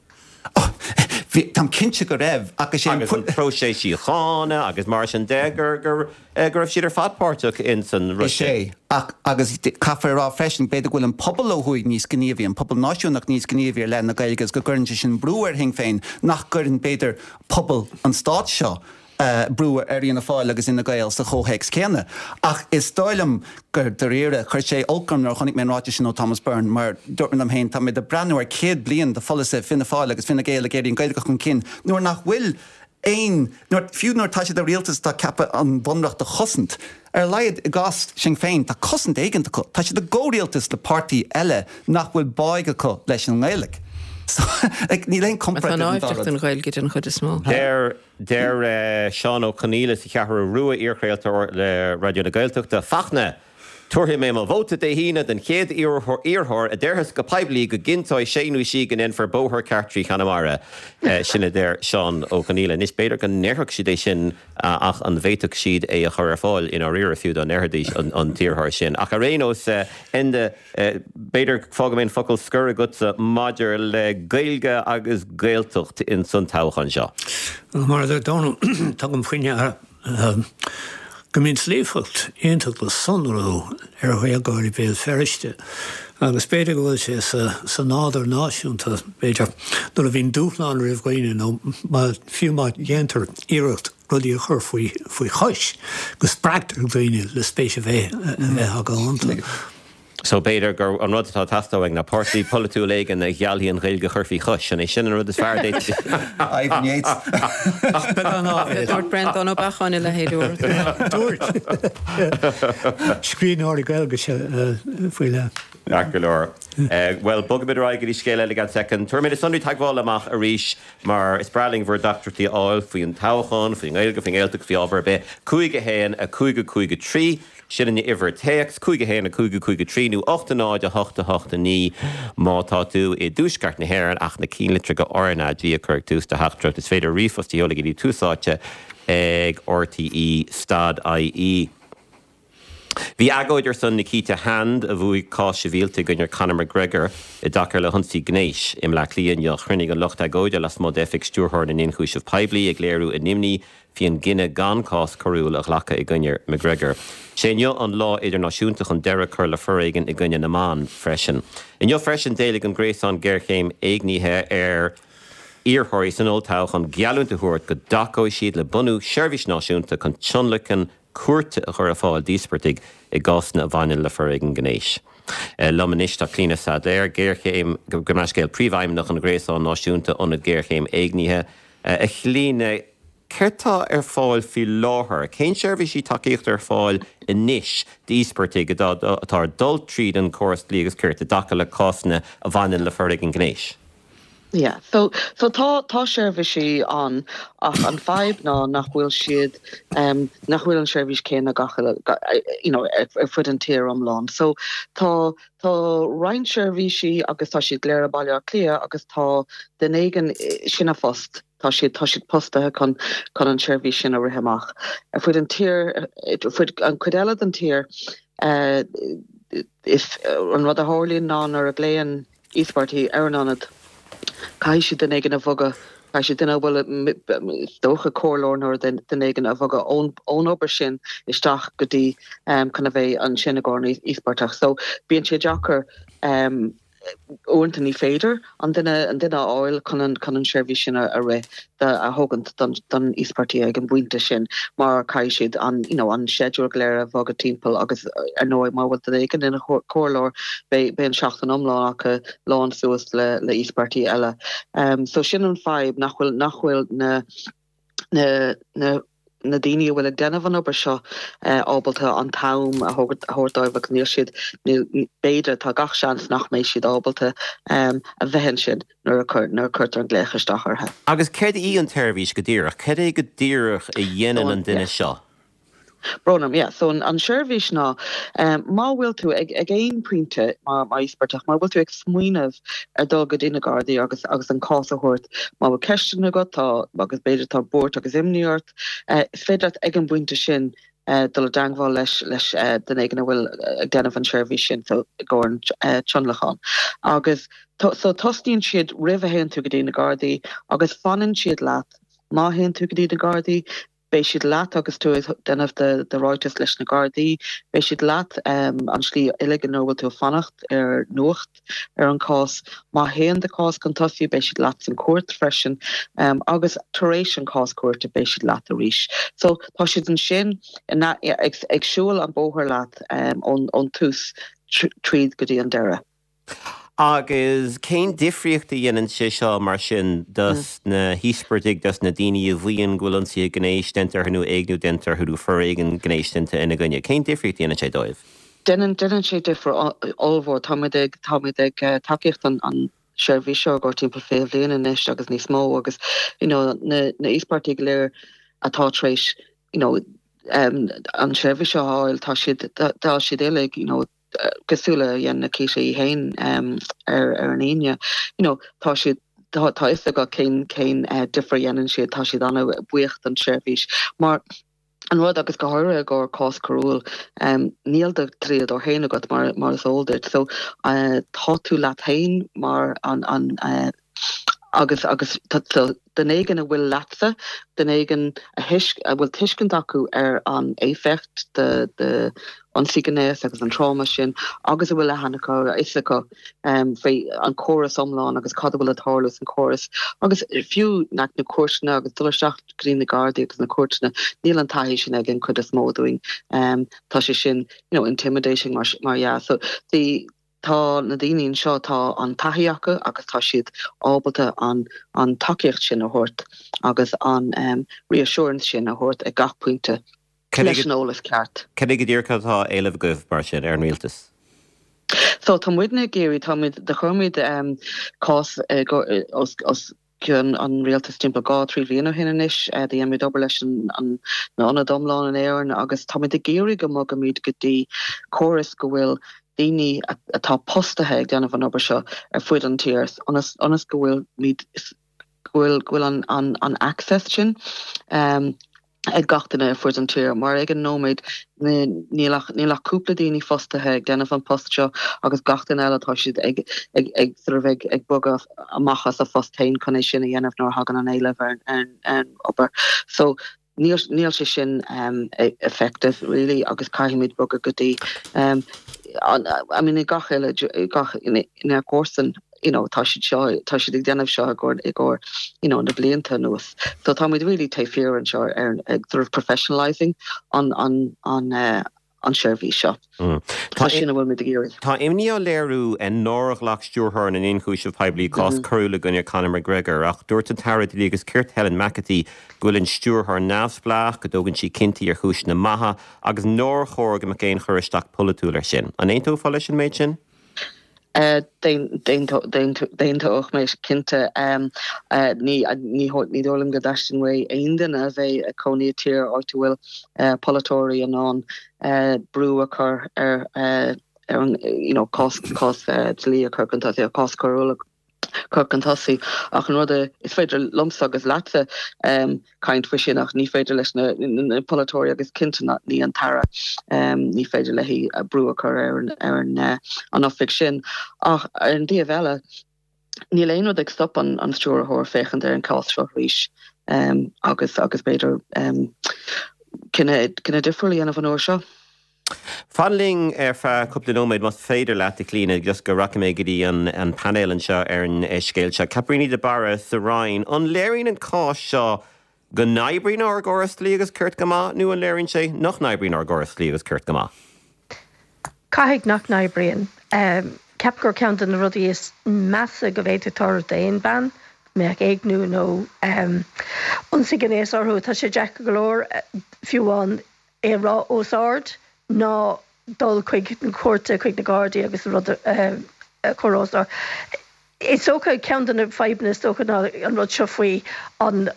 Bhí, táim cinnte go raibh, ach is é an. Agus an próiseas síochána agus mar sin de, gur, gur, go raibh siad ar fad páirteach ins an rud sin. Is é, ach, agus caithfear a rá freisin, b'fhéidir go bhfuil an pobal ó thuaidh níos gníomhaí, an pobal náisiúnach níos gníomhaí ar leith na Gaeilge agus go gcuireann sé sin brú ar Shinn Féin nach gcuireann, b'fhéidir, pobal an stáit seo brú ar Fhianna Fáil agus Fhine Gael sa chomhthéacs céanna. Ach is dóigh liom gur dáiríre, chuir sé olc orm nuair a chonaic mé an ráiteas sin ó Thomas Byrne mar dúirt mé liom féin, tá mé ag breathnú ar 100 bliain de pholasaithe Fianna Fáil agus Fine Gael ag iarraidh an Ghaeilge a chur chun cinn nuair nach bhfuil aon, nuair, fiú nuair atá siad i rialtas atá ceaptha an Bunreacht a chosaint, ar a laghad i gcás Sinn Féin, tá cosaint éigint acu. Tá siad i gcomhrialtas le páirtí eile nach bhfuil báidh acu leis an nGaeilge. So, like, níl aon comparáid idir an dá rud. Atá naimhdeach don Ghaeilge den chuid is mó. Deir Deir Seán Ó Conghaile sa Cheathrú Rua, iarchraoltóir le Raidió na Gaeltachta, Fachtna, Tabharfaidh mé mo vóta Dé hAoine don chéad iarrthóir a déarfas go poiblí go gcinnteoidh sé nó sí go ndéanfar bóthar ceart trí Chonamara. Sin a deir Seán Ó Conghaile. Anois, b'fhéidir go ndéarfadh siad é sin ach an bhféadfadh siad é a chur ar fáil i ndáiríre fiú dá ndéarfaidís an t-iarrthóir sin. Ach ar aon nós, Enda, B'fhéidir, fágfaidh mé an focal scoir agatsa maidir le Gaeilge agus Gaeltacht ins an toghchán seo. Bhuel, mar a deir Dónal, tugaim faoi ndeara go mbíonn líofacht iontach le sonrú ar Ghaeilgeoirí Bhéal Feirste agus b'fhéidir go bhfuil sé sa nádúr náisiúnta, b'fhéidir, nuair a bhíonn dúshlán roimh dhaoine nó fiú má dhéantar iarracht rudaí a chur faoi chois, go spreagtar daoine le spéis a bheith acu iontu. So b'fhéidir gur an rud atá ag teastáil uainn ná páirtí polaitiúil éigin a gheallfaidh an Ghaeilge a chur faoi chois. An é sin an rud is fearr a d'fhéadfaí? Ivan Yates. Ach beagán áibhéil. Dúirt Breandán Ó Beacháin a leithéid uair. Dúirt. Scríbhneoirí Gaeilge faoi leith. Ceart go leor. Bhuel, bogfaimid ar aghaidh go dtí scéal eile i gceann soicind. Tabharfaidh mé na sonraí teagmhála amach arís mar is breá linn bhur dteachtaireachtaí a fháil faoin toghchán, faoin nGaeilge, faoin nGaeltacht, faoi ábhar ar bith. 5 1 5 5 3. Sin an uimhir téacs, 5 1 5 5 3 nó 8 0 8 8 9 má tá tú i dTuaisceart na hÉireann ach na cinnlitreacha RnaG a chur ag tús do theachtaireacht. Is féidir ríomhphost a sheoladh go dtí Tús Áite ag rte stad ie. Bhí agóid ar son Nikita Hand, a bhuaigh cás sibhialta i gcoinne Conor McGregor i dtaca le hionsaí gnéis, i mBleá Cliath inniu. Chruinnigh an lucht agóide lasmuigh d'oifig Stiúrthóir na nIonchúiseamh Poiblí ag léiriú a n-imní faoin gcinneadh gan cás coiriúil a ghlacadh i gcoinne McGregor. Sé inniu an lá idirnáisiúnta chun deireadh a chur le foréigean i gcoinne na mban freisin. Inniu freisin d'éiligh an Gréasán Géarchéim Éignithe ar iarrthóirí san olltoghchán geallúint a thabhairt go dtacóidh siad le bunú seirbhís náisiúnta chun tionlacan cúirte a chur ar fáil d'íospartaigh i gcásanna a bhaineann le foréigean gnéis. Liom anois tá Clíona Saidléar, géarchéim, gabh mo leithscéal, Príomhfheidhmeannach an Ghréasáin Náisiúnta Ionad Géarchéim Éignithe. A Chlíona, céard tá ar fáil faoi láthair? Cén seirbhísí tacaíochta ar fáil anois d'íospartaigh atá ag dul tríd an córas dlí agus cirt i dtaca le cásanna a bhaineann le foréigean gnéis? Yeah, so so tá tá seirbhísí ann ach an fadhb ná nach bhfuil siad um, nach bhfuil an seirbhís céanna gach you know, ar, ar fud an tír iomlán. So tá Tá roinnt seirbhísí agus tá siad go léir i Baile Átha Cliath agus tá duine éigin, sin a phost, tá siad, tá siad postaithe chun, chun an tseirbhís sin a rith amach. Ar fud an tír, ar fud an chuid eile den tír, is, an rud a tharlaíonn ná nuair a ghlaonn íospartaigh ar an ionad, Caithfidh siad duine éigin a bhogadh, caithfidh siad duine a bhfuil, is dócha, comhairleoir nó duine éigin a bhogadh ón obair sin isteach go dtí chun a bheith ansin i gcomhair an íospartach. So bíonn sé deacair. uaireanta ní féidir an duine an duine a fháil chun an chun an seirbhís sin a a rith a thógaint don don íospartaigh ag an bpointe sin mar caithfidh siad an you know an schedule go léir a bhogadh timpeall agus ar ndóigh má bhfuil duine éigin ina chomhairleoir beidh beidh an seachtain iomlán acu lán suas le le íospartaigh eile. So sin an fadhb nach bhfuil nach bhfuil na na na na daoine a bhfuil ag déanamh an obair seo ábalta an t-am a thabhairt dóibh agus níl siad, níl, b'fhéidir, tá gach seans nach mbeidh siad ábalta a bheith ansin nuair a nuair a cuirtear an glaoch isteach orthu. Agus céard í an tseirbhís go díreach? Cad é go díreach a dhéanann an duine seo? Brón orm, yeah. So an seirbhís ná, má bhfuil tú ag ag aon pointe mar mar íospartach, má bhfuil tú ag smaoineamh ar dul go dtí na Gardaí agus agus an cás a thabhairt, má bhfuil ceisteanna agat, tá agus b'fhéidir tá buairt agus imní ort, is féidir leat ag an bpointe sin dul i dteangmháil leis leis duine éigin a bhfuil ag déanamh an seirbhís sin, so i gcomhair an tionlacan. Agus so tosnaíonn siad roimh a théann tú go dtí na Gardaí agus fanann siad leat má théann tú go dtí na Gardaí, Beidh siad leat agus tú ag déanamh do ráiteas leis na Gardaí. Beidh siad leat an slí uilig nuair a bhfuil tú ag fanacht ar nuacht ar an cás. Má théann do chás chun tosaigh, beidh siad leat san cúirt freisin agus tar éis an cás cúirte beidh siad leat arís. So tá siad ansin ag siúl an bóthar leat ón tús tríd go dtí an deireadh. Agus cén difríocht a dhéanann sé seo mar sin dos na híospartaigh, dos na daoine a mhaíonn go bhfuil ionsaithe gnéis déanta orthu nó éigniú déanta orthu nó foréigean gnéis déanta ina gcoinne? Cén difríocht a dhéanann sé dóibh? Déanann, déanann sé difear ollmhór. Táimid ag, táimid ag tacaíocht an, an seirbhís seo i gcomhair timpeall 20 bhliain anois agus níos mó agus you know na, na íospartaigh go léir atá tar éis you know an seirbhís seo a fháil, tá siad, tá siad uilig you know cosúil le dhein Nikita í féin ar an Aoine, you know, tá siad, tá a fhios acu cén, cén difear a dhéanann siad, tá siad an-bhuíoch don tseirbhís. Mar an rud, agus go háirithe i gcomhair cás coiriúil, níl do dhlíodóir féin agat mar, mar is eol duit, so tá tú leat féin mar an, an, agus, agus so duine éigin a bhfuil leatsa, duine éigin a thuisc, a bhfuil tuiscint acu ar an éifeacht de, de ionsaí gnéas agus an tráma sin agus a bhfuil aithne acu, a fhios acu faoi an córas iomlán agus cad a bhfuil ag tarlú san córas agus fiú na cúirteanna agus dul isteach go dtí na Gardaí agus na cúirteanna, níl an taithí sin ag an chuid is mó dúinn. Tá sé sin, you know, intimidating mar, mar dhea. So the, tá na daoine anseo, tá an taithí acu agus tá siad ábalta an, an tacaíocht sin a thabhairt agus an reassurance sin a thabhairt ag gach pointe. leis an eolas ceart. Cad é go díreach atá á éileamh agaibh, mar sin, ar an rialtas? So, tá muidne ag iarraidh, tá muid, do chuir muid cás os cionn an rialtais timpeall 2, 3 bhliain ó shin anois, do dhein muid obair leis an na ionaid iomlán in Éirinn agus tá muid ag iarraidh go mbogaimid go dtí córas go bhfuil daoine atá postaithe ag déanamh an obair seo ar fuid an tír ionas ionas go bhfuil muid go bhfuil go bhfuil an an an access sin ag gach duine ar fuid an tír mar ag an nóiméad níl ach níl ach cúpla daoine fostaithe ag déanamh an post seo agus gach duine eile tá siad ag ag ag sort of ag ag bogadh amach as a phost féin chun é sin a dhéanamh nuair a thagann an éileamh ar ar an obair. So níl níl sé sin effective really agus caithfimid bogadh go dtí I mean i gach uile gach inár gcomharsain you know tá siad seo tá siad ag déanamh seo i gcomhair i gcomhair you know na blianta anuas. So táimid really taobh thiar anseo ar ag sort of professionalising an an an an seirbhís seo. Tá sin a bhfuilimid ag iarraidh. Tá imní á léiriú nár ghlac Stiúrthóir na nIonchúiseamh Poiblí cás coiriúil i gcoinne Conor McGregor ach dúirt an tAire Dlí agus Cirt Helen McEntee go bhfuil an Stiúrthóir neamhspleách, go dtógann sí cinntí ar chúiseanna maithe agus nár chóir go mbeadh aon chur isteach polaitiúil air sin. An aontófá leis an méid sin? D'aontódh mé cinnte. Ní dóigh liom go dteastaíonn uaidh aon duine a bheith ag cónaí i tír áit a bhfuil polaiteoirí in ann brú a chur ar an you know cás dlí a chur chun tosaigh, cás coiriúil a chur chun tosaigh. Ach an rud a, is féidir liomsa agus leatsa caint faoi sin ach ní féidir leis na polaiteoirí agus cinnte ní an tAire, ní féidir léi brú a chur ar an an oifig sin. Ach ar an dtaobh eile, níl aon rud ag stop an stiúrthóir féachaint ar an cás seo arís agus agus b'fhéidir cinneadh difriúil a dhéanamh an uair seo. Fan linn ar feadh cúpla nóiméad más féidir leat, a Chlíona, just go rachaidh mé go dtí an painéal anseo ar an scéal seo. Caitríona de Barra sa Rinn, an léiríonn an cás seo go n-oibríonn ár gcóras dlí agus cirt go maith nó an léiríonn sé nach n-oibríonn ár gcóras dlí agus cirt go maith? Caithfidh nach n-oibríonn. Ceapaim gur ceann de na rudaí is measa go bhféadfadh tarlú d'aon bhean, go mbeadh éigniú nó ionsaí gnéis orthu. Tá sé deacair go leor, fiú amháin, é a rá os ard ná dul chuig na cúirte, chuig na Gardaí agus an rud a chur os ard. Is dócha, ceann de na fadhbanna is dócha ná an rud seo faoi an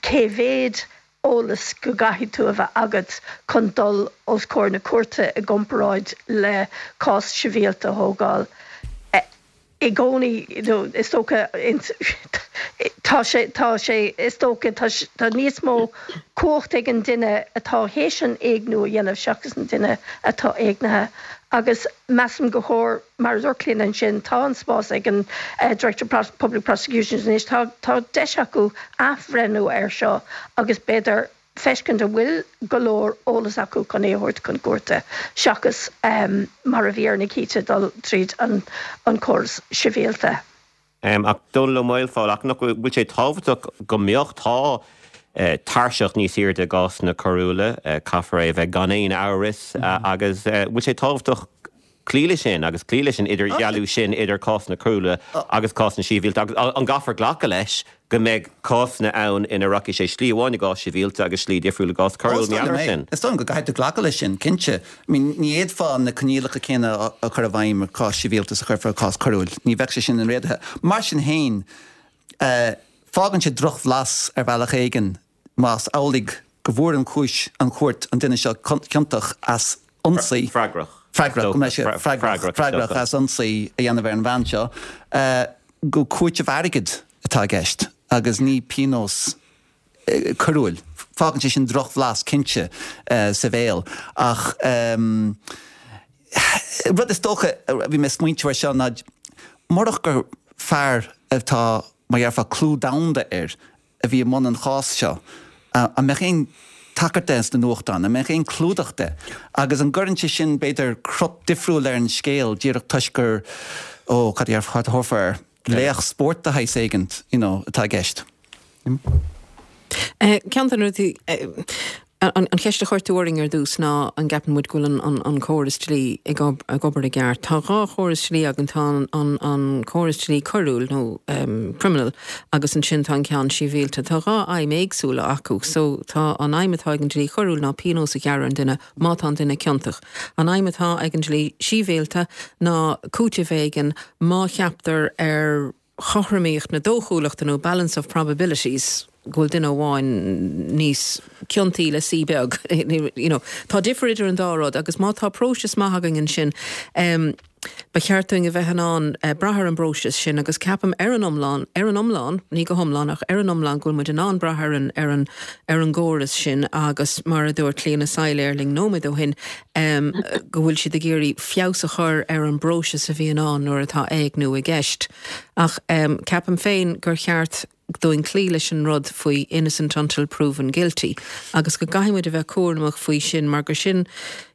cé mhéad eolas go gcaithfidh tú a bheith agat chun dul os comhair na cúirte i gcomparáid le cás sibhialta a thógáil. I gcónaí, is dócha, tá sé, tá sé, is dócha, tá, tá níos mó cumhacht ag an duine atá théis an éigniú a dhéanamh seachas an duine atá éignithe. Agus measaim go chóir, mar a dúirt Clíona ansin, tá an spás ag an Director of Public Prosecutions anois, tá, tá deis acu athbhreithniú air seo agus b'fhéidir feiscint an bhfuil go leor eolas acu chun é a thabhairt chun cúirte seachas mar a bhí ar Nikita dul tríd an córas sibhialta. Ach Dónall Ó Maolfabhail, ach nach bhfuil sé tábhachtach go mbeadh, tá tairseach níos airde i gcásanna coiriúla, caithfear é a bheith gan aon amhras agus bhfuil sé tábhachtach cloí leis sin agus cloí leis an idirdhealú sin idir cásanna coiriúla agus cásanna sibhialta agus an gcaithfear glacadh leis go mbeidh cásanna ann ina rachaidh sé slí amháin i gcás sibhialta agus slí difriúil i gcás coiriúil mar gheall air sin. Is dóigh liom go gcaithfidh tú glacadh leis sin, cinnte. I mean, ní fhéadfá na coinníollacha céanna a chur i bhfeidhm i gcás sibhialta is a chuirfeá i gcás coiriúil. Ní bheadh sé sin inréadaithe. Mar sin féin, fágann sé drochbhlas ar bhealach éigin más amhlaidh go bhfuair an chúis, an chúirt, an duine seo ciontach as ionsaí. Freagrach. Freagrach, go mbeidh sé freagrach, freagrach as ionsaí a dhéanamh ar an bhean seo, gur cúiteamh airgid atá i gceist agus ní pionós coiriúil. Fágann sé sin drochbhlas, cinnte, sa bhéal. Ach rud is dócha, bhí mé ag smaointiú air seo, ná murach gur fear atá, mar dhéarfá, clú domhanda air, a bhí i mbun an chás seo, an mbeadh aon tagairt de sna nuachtáin, an mbeadh aon clúdach de? Agus an gcuireann sé sin, b'fhéidir, crot difriúil ar an scéal díreach toisc gur, ó, cad a cad a thabharfá air, laoch spóirt de shaghas éigint, you know, atá i gceist? Ceann de na rudaí, An cheist a chuir tú orainn ar dtús ná an gceapann muid go bhfuil an córas dlí ag obair i gceart. Tá dhá chóras dlí againn, tá an córas dlí coiriúil nó criminal agus ansin tá an ceann sibhialta. Tá dhá aidhm éagsúla acu. So tá an aidhm atá ag an dlí choiriúil ná pionós a ghearradh ar an duine má tá an duine ciontach. An aidhm atá ag an dlí sibhialta ná cúiteamh éigin má cheaptar ar chothromaíocht na dóchúlachta nó balance of probabilities go bhfuil duine amháin níos ciontaí le C beag. You know, tá difear idir an dá rud agus má tá próiseas maith againn ansin, em, ba cheart dúinn a bheith in ann eh, brath ar an bpróiseas sin agus ceapaim ar an iomlán, ar an iomlán, ní go hiomlán ach ar an iomlán go bhfuil muid in ann brath ar an, ar an, ar an gcóras sin agus mar a dúirt Clíona Saidhléir linn nóiméad ó shin, em, go bhfuil siad ag iarraidh feabhas a chur ar an bpróiseas a bhíonn ann nuair atá éigniú i gceist. Ach, em, ceapaim féin gur cheart dúinn cloí leis an rud faoi innocent until proven guilty agus go gcaithfidh muid a bheith cúramach faoi sin mar gur sin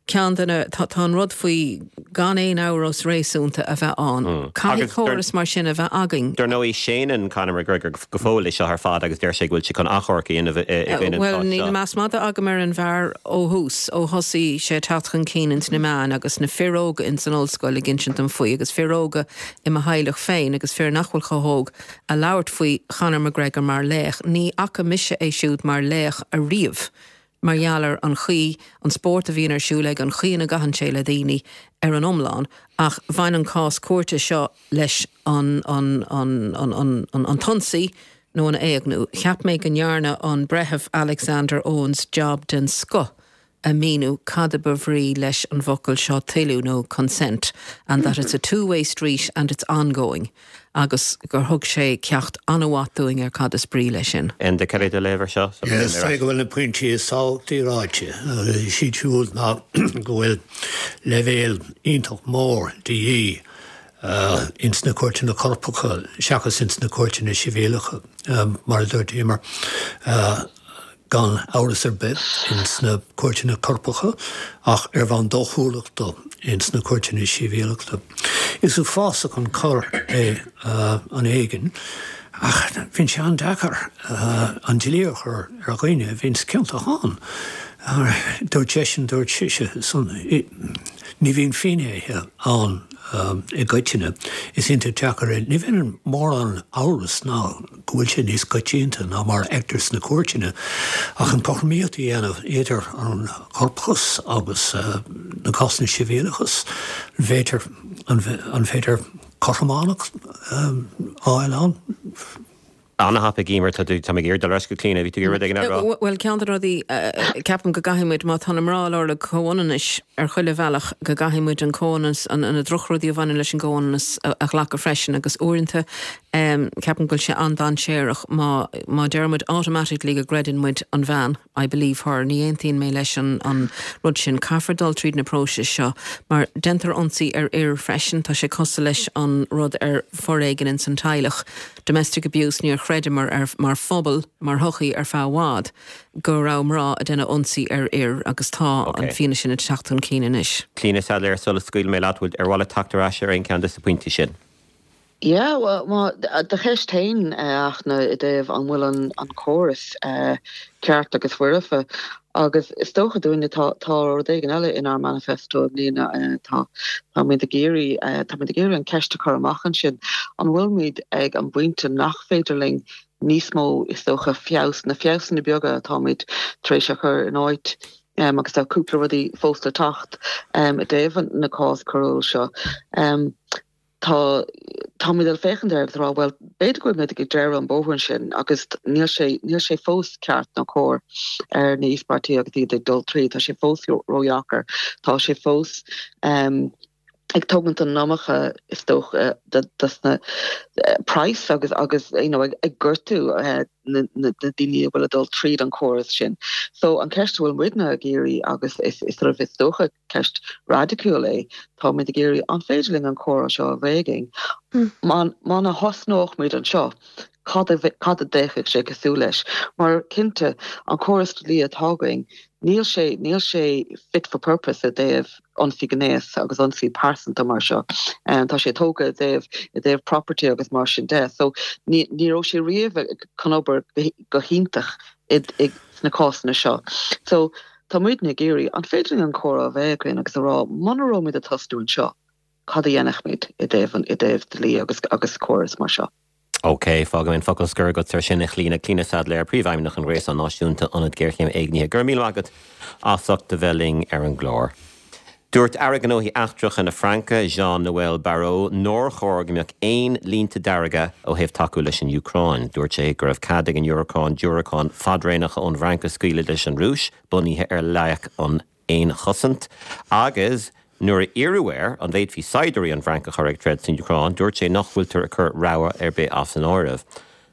ceann de na, tá, tá an rud faoi gan aon amhras réasúnta a bheith ann. Caithfidh córas mar sin a bheith againn. Dar ndóigh, séanann Conor McGregor go fóill é seo ar fad agus deir sé go bhfuil sé chun achomharc a dhéanamh i gcoinne an Bhuel, cháis níl seo. meas madaidh agam ar an bhfear ó thús, ó thosaigh sé ag teacht chun cinn ins na meáin agus na fir óga ins an ollscoil ag insint dom faoi agus fir óga i mo theaghlach féin agus fir nach bhfuil chomh hóg a labhairt faoi Chonor McGregor mar laoch. Ní fhaca mise é siúd mar laoch ariamh. mar gheall ar an chaoi, an spórt a bhíonn ar siúl aige, an chaoi ina gcaitheann sé le daoine ar an iomlán, ach bhain an cás cúirte seo leis an, an, an, an, an, an, an t-ionsaí nó an éigniú. Cheap mé go ndearna an Breitheamh Alexander Owens jab den scoth a míniú cad a ba bhrí leis an bhfocal seo toiliú nó consent and that it's a two-way street and it's ongoing. agus gur thug sé ceacht an-mhaith dúinn ar cad is brí leis sin. Enda, cad é do léamh ar seo? Is dóigh go bhfuil na pointí is tábhachtaí ráite. Is iad siúd ná go bhfuil leibhéal iontach mór de dhíth ins na cúirteanna coirpeacha seachas ins na cúirteanna sibhialacha. Mar a dúirt Emer. Gan amhras ar bith ins na cúirteanna coirpeacha ach ar bhonn dóchúlachta ins na cúirteanna sibhialachta. Is uafásach an cor é an éigean ach bíonn sé an-deacair an dlí a chur ar dhaoine a bhíonns ciontach ann. Dúirt seisean, dúirt sise, ní bhíonn finnéithe ann i gcoitinne. Is iontach deacair é. Ní bhíonn mórán amhras ná. go bhfuil sé níos coitianta ná mar a fheictear sna cúirteanna, ach an cothromaíocht a dhéanamh idir an corpachas agus na cásanna sibhialachas, an bhféidir, an féidir cothrománacht a fháil ann? An-thapaidh, Emer, tá tú, tá mé ag iarraidh dul ar ais go Clíona, bhí tú ag iarraidh rud éigin a rá? Bhuel, ceann de na rudaí, ceapaim go gcaithfidh muid, má tá na mná ag lorg comhionannais ar chuile bhealach, go gcaithfidh muid an comhionannas, na drochrudaí a bhaineann leis an gcomhionannas a ghlacadh freisin agus uaireanta, Ceapaim go bhfuil sé an-dainséarach má má deir muid automatically go gcreideann muid an bhean, I believe her, ní aontaíonn mé leis an an rud sin. Caithfear dul tríd na próisis seo mar déantar ionsaí ar fhir freisin, tá sé cosúil leis an rud ar foréigean ins an teaghlach, domestic abuse, níor chreideamar ar mar phobal, mar shochaí ar feadh i bhfad go raibh mná ag déanamh ionsaí ar fhir agus tá an fianaise sin ag teacht chun cinn anois. Clíona Saidléar, sula scaoilfidh mé leat, bhfuil ar mhaith leat teacht ar ais ar aon cheann de na pointí sin? Yeah, bhuel, má, do cheist féin, a Fhachtna, i dtaobh an bhfuil an, an córas ceart agus foirfe, agus is dócha dúinne, tá, tá rud éigin eile inár manifesto i mbliana, tá, táimid ag iarraidh, táimid ag iarraidh an ceist a chur amach ansin, an bhfuilimid ag an bpointe nach féidir linn níos mó, is dócha, feabhas, na feabhsanna beaga atáimid tar éis a chur in áit, agus tá cúpla rudaí fós le teacht i dtaobh na cás coiriúil seo. Tá, táimid ag féachaint air agus ag rá, bhuel, b'fhéidir go bhfuil muid ag deireadh an bóthar ansin agus níl sé, níl sé fós ceart nó cóir ar na híospartaigh agus iad ag dul tríd, tá sé fós ródheacair, tá sé fós ag tógaint an iomarca, is dócha, dos na praghas agus, agus, you know, ag gortú na daoine a bhfuil ag dul tríd an córas sin. So an ceist a bhfuil muidne ag iarraidh agus is, is sort of, is dócha, Ceist raidiciúil é. Táimid ag iarraidh, an féidir linn an comhrá seo a bheith againn? Muna thosnódh muid anseo, cad a cad a d'fhéachfadh sé cosúil leis? Mar cinnte, an córas dlí atá againn, níl sé níl sé fit for purpose i dtaobh ionsaí gnéas agus ionsaí pearsanta mar seo. Tá sé tógtha i dtaobh i dtaobh property agus mar sin de. So ní ní raibh sé riamh chun obair go hiontach i sna cásanna seo. So Tá muidne ag iarraidh, an féidir linn an comhrá a bheith againn agus a rá, muna raibh muid ag tosnú anseo, cad a dhéanfadh muid i dtaobh an, i dtaobh dlí agus, agus córas mar seo? OK, fágfaidh mé an focal scoir agat ar sin, a Chlíona. Clíona Saidléir, Príomhfheidhmeannach an Ghréasáin Náisiúnta, Ionad Géarchéime Éignithe. Go raibh míle maith agat as ucht a bheith linn ar an gclár. Dúirt Aire Gnóthaí Eachtracha na Fraince, Jean-Noël Barrot, nár chóir go mbeadh aon línte dearga ó thaobh tacú leis an Úcráin. Dúirt sé go raibh cead ag an Úcráin diúracáin fadréanacha ón bhFrainc a scaoileadh leis an Rúis, bunaithe ar loighic an fhéinchosaint. Agus nuair a iarradh air an bhféadfaí saighdiúirí ón bhFrainc a chur ag troid san Úcráin, dúirt sé nach bhfuiltear ag cur rogha ar bith as an áireamh.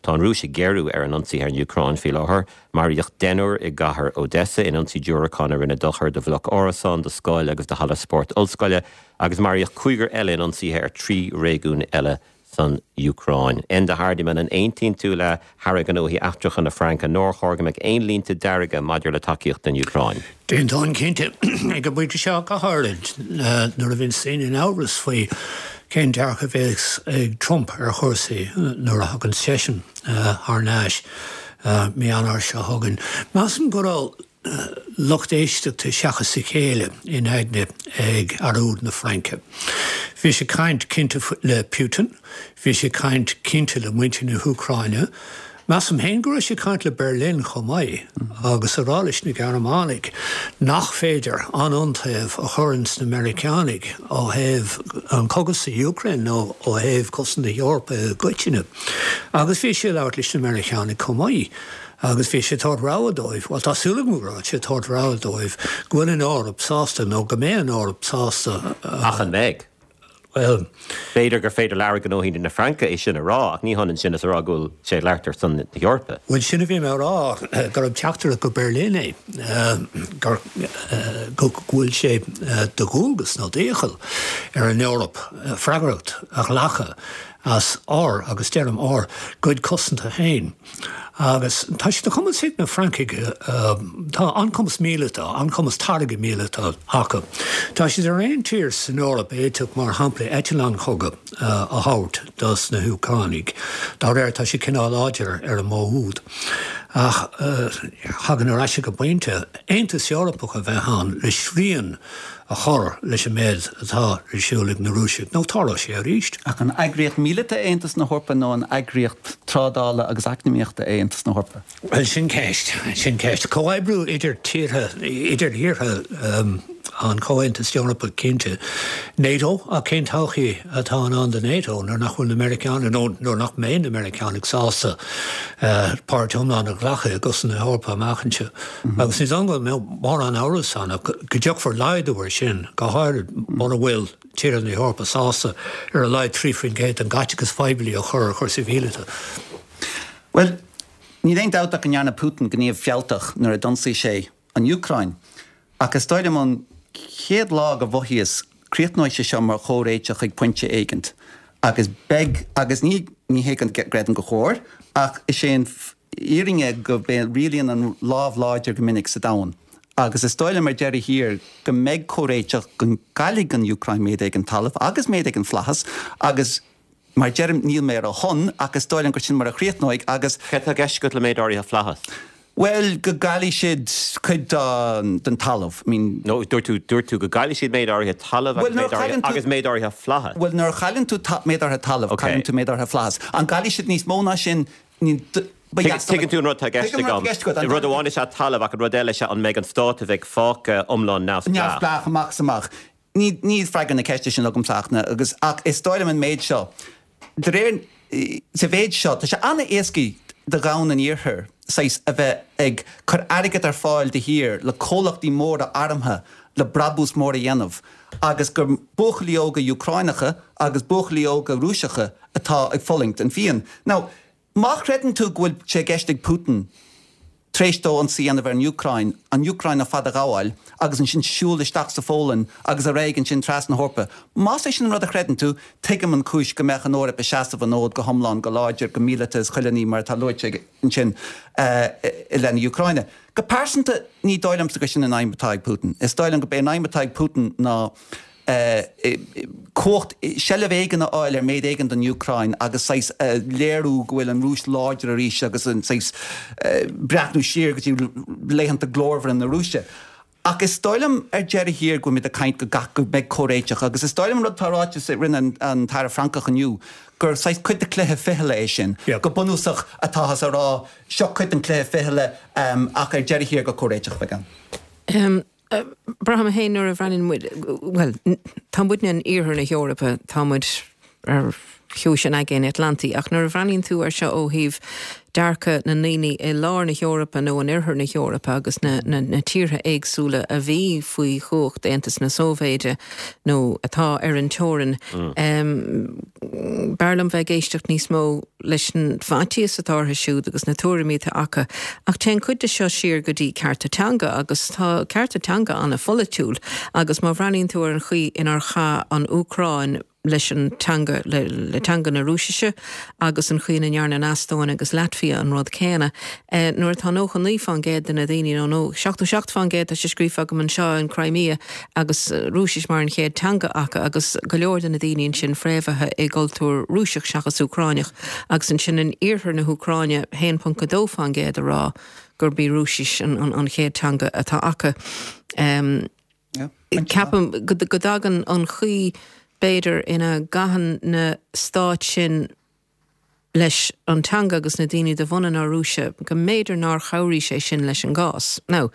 Tá an Rúis ag géarú ar an ionsaí ar an Úcráin faoi láthair. Maraíodh deichniúr i gcathair Odessa in ionsaí diúracán a rinne dochar do bhloc árasán, do scoil agus do halla spóirt ollscoile, agus maraíodh cúigear eile in ionsaithe ar thrí réigiún eile san Úcráin. Enda Hardiman, an aontaíonn tú le hAire Gnóthaí Eachtracha na Fraince nár chóir go mbeadh aon línte dearga maidir le tacaíocht don Úcráin? D'aontóinn cinnte, ag an bpointe seo go háirid, nuair a bhíonns daoine in amhras faoi cén dearcadh a bheas ag Trump ar chúrsaí nuair a thagann seisean thar n-ais mí Eanáir seo chugainn. Measaim go raibh lucht éisteachta seachas a chéile in aigne ag Aire úd na Fraince. Bhí sé ag caint cinnte le Putin, bhí sé ag caint cinnte le muintir na hÚcráine, Measaim féin go raibh sé ag caint le Berlin chomh maith agus ag rá leis na Gearmánaigh nach féidir an iontaobh a chur ins na Meiriceánaigh ó thaobh an cogadh sa Úcráin nó ó thaobh cosaint na hEorpa i gcoitinne. Agus bhí sé ag labhairt leis na Meiriceánaigh chomh maith agus bhí sé ag tabhairt rabhadh dóibh, bhuel tá súil agam go raibh sé ag tabhairt rabhadh dóibh go bhfuil an Eoraip sásta nó go mbeidh an Eoraip sásta. Ach an mbeidh? Bhuel. B'fhéidir gur féidir le Aire Gnóthaí na Fraince é sin a rá, ach ní hionann sin is a rá go bhfuil sé ag labhairt ar son na hEorpa. Bhuel, sin a bhí mé a rá, gurb teachtaireacht go Berlin é, gur, go bhfuil sé de dhualgas nó d'iachall ar an Eoraip freagracht a ghlacadh. As ár, agus deirim ár, gcuid cosanta féin. Agus tá sé de chumas ag na Francaigh, tá an-chumas míleata, an-chumas táirge míleata acu. Tá siad ar aon tír san Eoraip a fhéadfadh, mar shampla, eitleáin chogaidh a thabhairt dos na hÚcránaigh. Dá réir, tá siad cineál láidir ar an modh úd. Ach thagann ar ais ag an bpointe, Aontas Eorpach a bheith ann le srian a chur leis an méid atá ar siúl ag na Rúisigh, nó tarlóidh sé arís. Ach an eagraíocht míleata é Aontas na hEorpa nó an eagraíocht trádála agus eacnamaíochta é Aontas na hEorpa? Bhuel, sin ceist. Sin ceist. Comhoibriú idir tíortha, idir thíortha an Chomhaontais Eorpaigh, cinnte. NATO, ach cén todhchaí atá in ann do NATO nuair nach bhfuil na Meiriceánaigh, nó nuair nach mbeidh na Meiriceánaigh sásta páirt iomlán a ghlacadh i gcosaint na hEorpa amach anseo? Agus ní dóigh liom go mbeadh mórán amhras ann ach go dtiocfar laghdú air sin, go háirid mura bhfuil tíortha na hEorpa sásta ar a laghad 3% den gcaiteachas poiblí a chur ar chúrsaí míleata. Bhuel, níl aon dabht ach go ndearna Putin gníomh fealltach nuair a d'ionsaigh sé an Úcráin. Ach is dóigh liom ón chéad lá go mhothaíos, críochnóidh sé seo mar chomhréiteach ag pointe éigint. Agus beidh, agus ní, ní hé go gcreidim gur chóir, ach is é an fhírinne go rialaíonn an lámh láidir go minic sa domhan. Agus is dóigh liom ar deireadh thiar go mbeidh comhréiteach, go gcaillfidh an Úcráin méid éigin talaimh agus méid éigin flaitheas agus mar a deirim níl mé ar a shon ach is dóigh liom gur sin mar a chríochnóidh agus. Céard atá i gceist agat le méid áirithe flaitheas? Bhuel, go gcaillfidh siad cuid den talamh. I mean. No, dúirt tú, dúirt tú go gcaillfidh siad méid áirithe talaimh agus méid áirithe, agus méid áirithe flaitheas. Bhuel, nuair a chailleann tú méid áirithe talaimh, cailleann tú méid áirithe flaitheas. An gcaillfidh siad níos mó ná sin? Ní, ba dheas liom. Tuigeann tú an rud atá i gceist agam. Rud amháin is ea talamh ach an rud eile is ea an mbeidh an stát a bheidh fágtha iomlán neamhspleách. Neamhspleách amach is amach. Níl freagra na ceiste sin agamsa ach na, agus, ach is dóigh liom an méid seo, de réir, sa mhéid seo, tá sé an-éascaí do dhomhan an Iarthair, saghas, a bheith ag cur airgead ar fáil de shíor le comhlachtaí móra armtha le brabús mór a dhéanamh agus gur buachaillí óga Úcráineacha agus buachaillí óga Rúiseacha atá ag fulaingt an phian. Now, Má chreideann tú go bhfuil sé i gceist ag Putin, tar éis dó ionsaí a dhéanamh ar an Úcráin, an Úcráin ar fad a ghabháil agus ansin siúl isteach sa Pholainn agus ar aghaidh ansin trasna na hEorpa, más é sin an rud a chreideann tú, tuigim an chúis go mbeadh an Eoraip ag seasamh an fhóid go hiomlán, go láidir, go míleata is chuile ní mar atá luaite ansin i leith na hÚcráine. Go pearsanta, ní dóigh liomsa gur sin an aidhm atá ag Putin. Is dóigh liom gurb é an aidhm atá ag Putin ná, cumhacht, seilbh éigin a fháil ar méid éigin den Úcráin agus saghas léiriú go bhfuil an Rúis láidir arís agus an saghas breathnú siar go dtí laethanta glórmhara na Rúise. Ach is dóigh liom ar deireadh thiar go bhfuilimid ag caint go gcaith, go mbeidh comhréiteach agus is dóigh liom an rud atá ráite a rinne an tAire Francach inniu gur saghas cuid de chluiche fichille é sin, go bunúsach atáthas a rá seo cuid den chluiche fichille ach ar deireadh thiar gur comhréiteach a bheidh ann. Braithim féin nuair a bhreathnaíonn muid, bhuel, tá muidne in iarthar na hEorpa, tá muid ar chiumhais an Aigéin Atlantaigh, ach nuair a bhreathnaíonn tú air seo ó thaobh dearcadh na ndaoine i lár na hEorpa nó in oirthear na hEorpa agus na, na, na tíortha éagsúla a bhí faoi chumhacht Aontas na Sóivéide nó atá ar an teorainn, b'fhearr liom bheith ag éisteacht níos mó leis an bhfaitíos atá orthu siúd agus na tuairimí atá acu. Ach téann cuid de seo siar go dtí cearta teanga agus tá cearta teanga an-pholaitiúil agus má bhreathnaíonn tú ar an chaoi inar chaith an Úcráin leis an teanga, le teanga na Rúisise agus an chaoi ina ndearna an Eastóin agus Laitvia an rud céanna, nuair atá 99% de na daoine, nó nó 77% tá sé scríofa agam anseo in Crimea, agus Rúisis mar an chéad teanga acu agus go leor de na daoine ansin fréamhaithe i gcultúr Rúiseach seachas Úcráineach agus ansin in iarthar na hÚcráine 1.2% ag rá gurb í Rúisis an chéad teanga atá acu. Ceapaim go dtagann an chaoi b'fhéidir ina gcaitheann na stáit sin leis an teanga agus na daoine de bhunadh na Rúise, go mb'fhéidir nár chabhraigh sé sin leis an gcás. Now,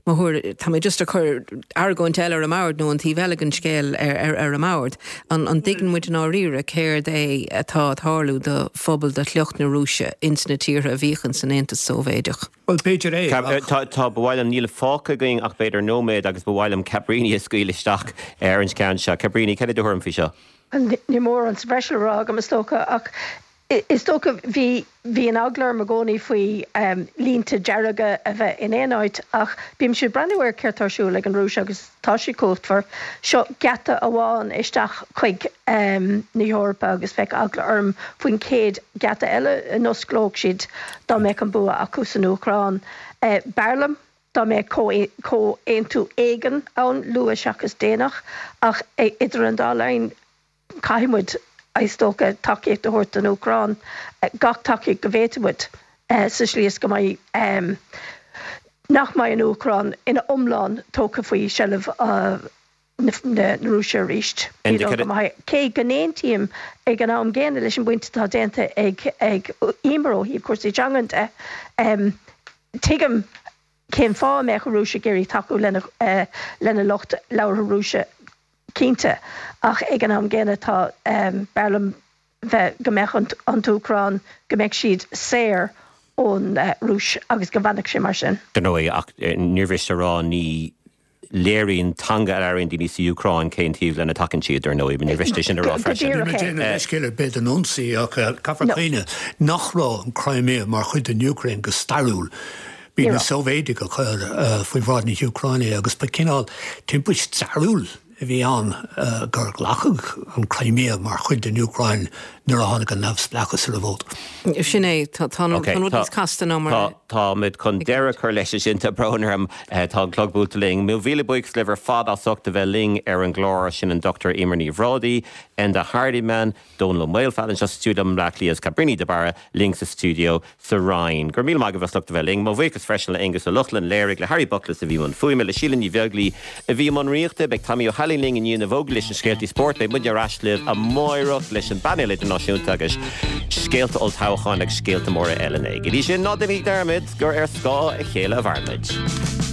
mo thuairim, tá mé just ag cur argóint eile ar an mbord nó an taobh eile den scéal ar ar an mbord. An an dtuigeann muid i ndáiríre céard é atá ag tarlú do phobal de shliocht na Rúise ins na tíortha a bhíodh ins an Aontas Sóivéideach? Bhuel, b'fhéidir é, ach. Tá, tá, ba mhaith liom, níl fágtha againn ach b'fhéidir nóiméad agus ba mhaith liom Cabríní a scaoileadh isteach ar an cheann seo. Cabríní, cad é do thuairim faoi seo? Níl mórán sa bhreis le rá agam, is dócha, ach. Is dócha, bhí, bhí an eagla orm i gcónaí faoi línte dearga a bheith in aon áit ach bímse ag breathnú ar céard tá ar siúl ag an Rúis agus tá siad cumhachtmhar. Seo geata amháin isteach chuig na hEorpa agus bheadh eagla orm faoin chéad gheata eile a n-osclódh siad dá mbeadh an bua acu san Úcráin. B'fhearr liom dá mbeadh comhaontú éigin ann, luath seachas déanach, ach idir an dá linn, Caithfidh muid, is dócha, tacaíocht a thabhairt don Úcráin, gach tacaíocht go bhféadfaidh muid, sa slí is go mbeidh, nach mbeidh an Úcráin ina iomlán tógtha faoi sheilbh na Rúise arís. Ní dóigh go mbeidh. Cé go n-aontaím ag an am gcéanna leis an bpointe atá déanta ag Emer ó thaobh cúrsaí teangan de, tuigim cén fáth a mbeadh an Rúis ag iarraidh tacú lena lucht labhartha Rúise. cinnte, ach ag an am gcéanna tá, b'fhearr liom bheith, go mbeadh an tÚcráin, go mbeadh siad saor ón Rúis agus go bhfanfadh sé mar sin. Dar ndóigh, ach níor mhiste a rá, ní léiríonn teanga a labhraíonn daoine sa Úcráin cén taobh lena dtacann siad, dar ndóigh, níor mhiste é sin a rá freisin. Níl mé ag déanamh leithscéal ar bith don ionsaí ach caithfear cuimhneamh nach raibh an Crimea mar chuid den Úcráin go stairiúil. Bhí na Sóivéadaigh a chuir faoi bhráid na hÚcráine agus ba chineál timpist stairiúil a bhí ann gur glacadh an Crimea mar chuid den Úcráin nuair a tháinig an neamhspleáchas ar an bhfód. Sin é, tá an rud níos casta ná mar a. Táimid chun deireadh a chur leis ansin, tá brón orm, tá an clog buailte linn. Mo mhíle buíochas libh ar fad as ucht a bheith linn ar an gclár, sin an Dr Eimear Ní Bhrádaigh, Enda Hardiman, Dónall Ó Maolfabhail anseo sa stiúideo i mBleá Cliath agus Cabríní de Barra linn sa stiúideo sa Rinn. Go raibh míle maith agaibh as ucht a bheith linn. Mo bhuíochas freisin le Aonghus Ó Lochlainn a léirigh, le Harry Buckless a bhí i mbun fuaime, le Síle Ní Bheaglaoi a bhí i mbun rúnaíochta. Beidh Tommy Ó hAilín linn i ndiaidh na bhfógraí leis na scéaltaí spóirt. Beidh muidne ar ais libh amáireach leis an bpainéal idirnáisiúnta agus scéalta olltoghcháin agus scéalta móra eile. Go dtí sin, ná déanaigí dearmad gur ar scáth a chéile a mhairimid.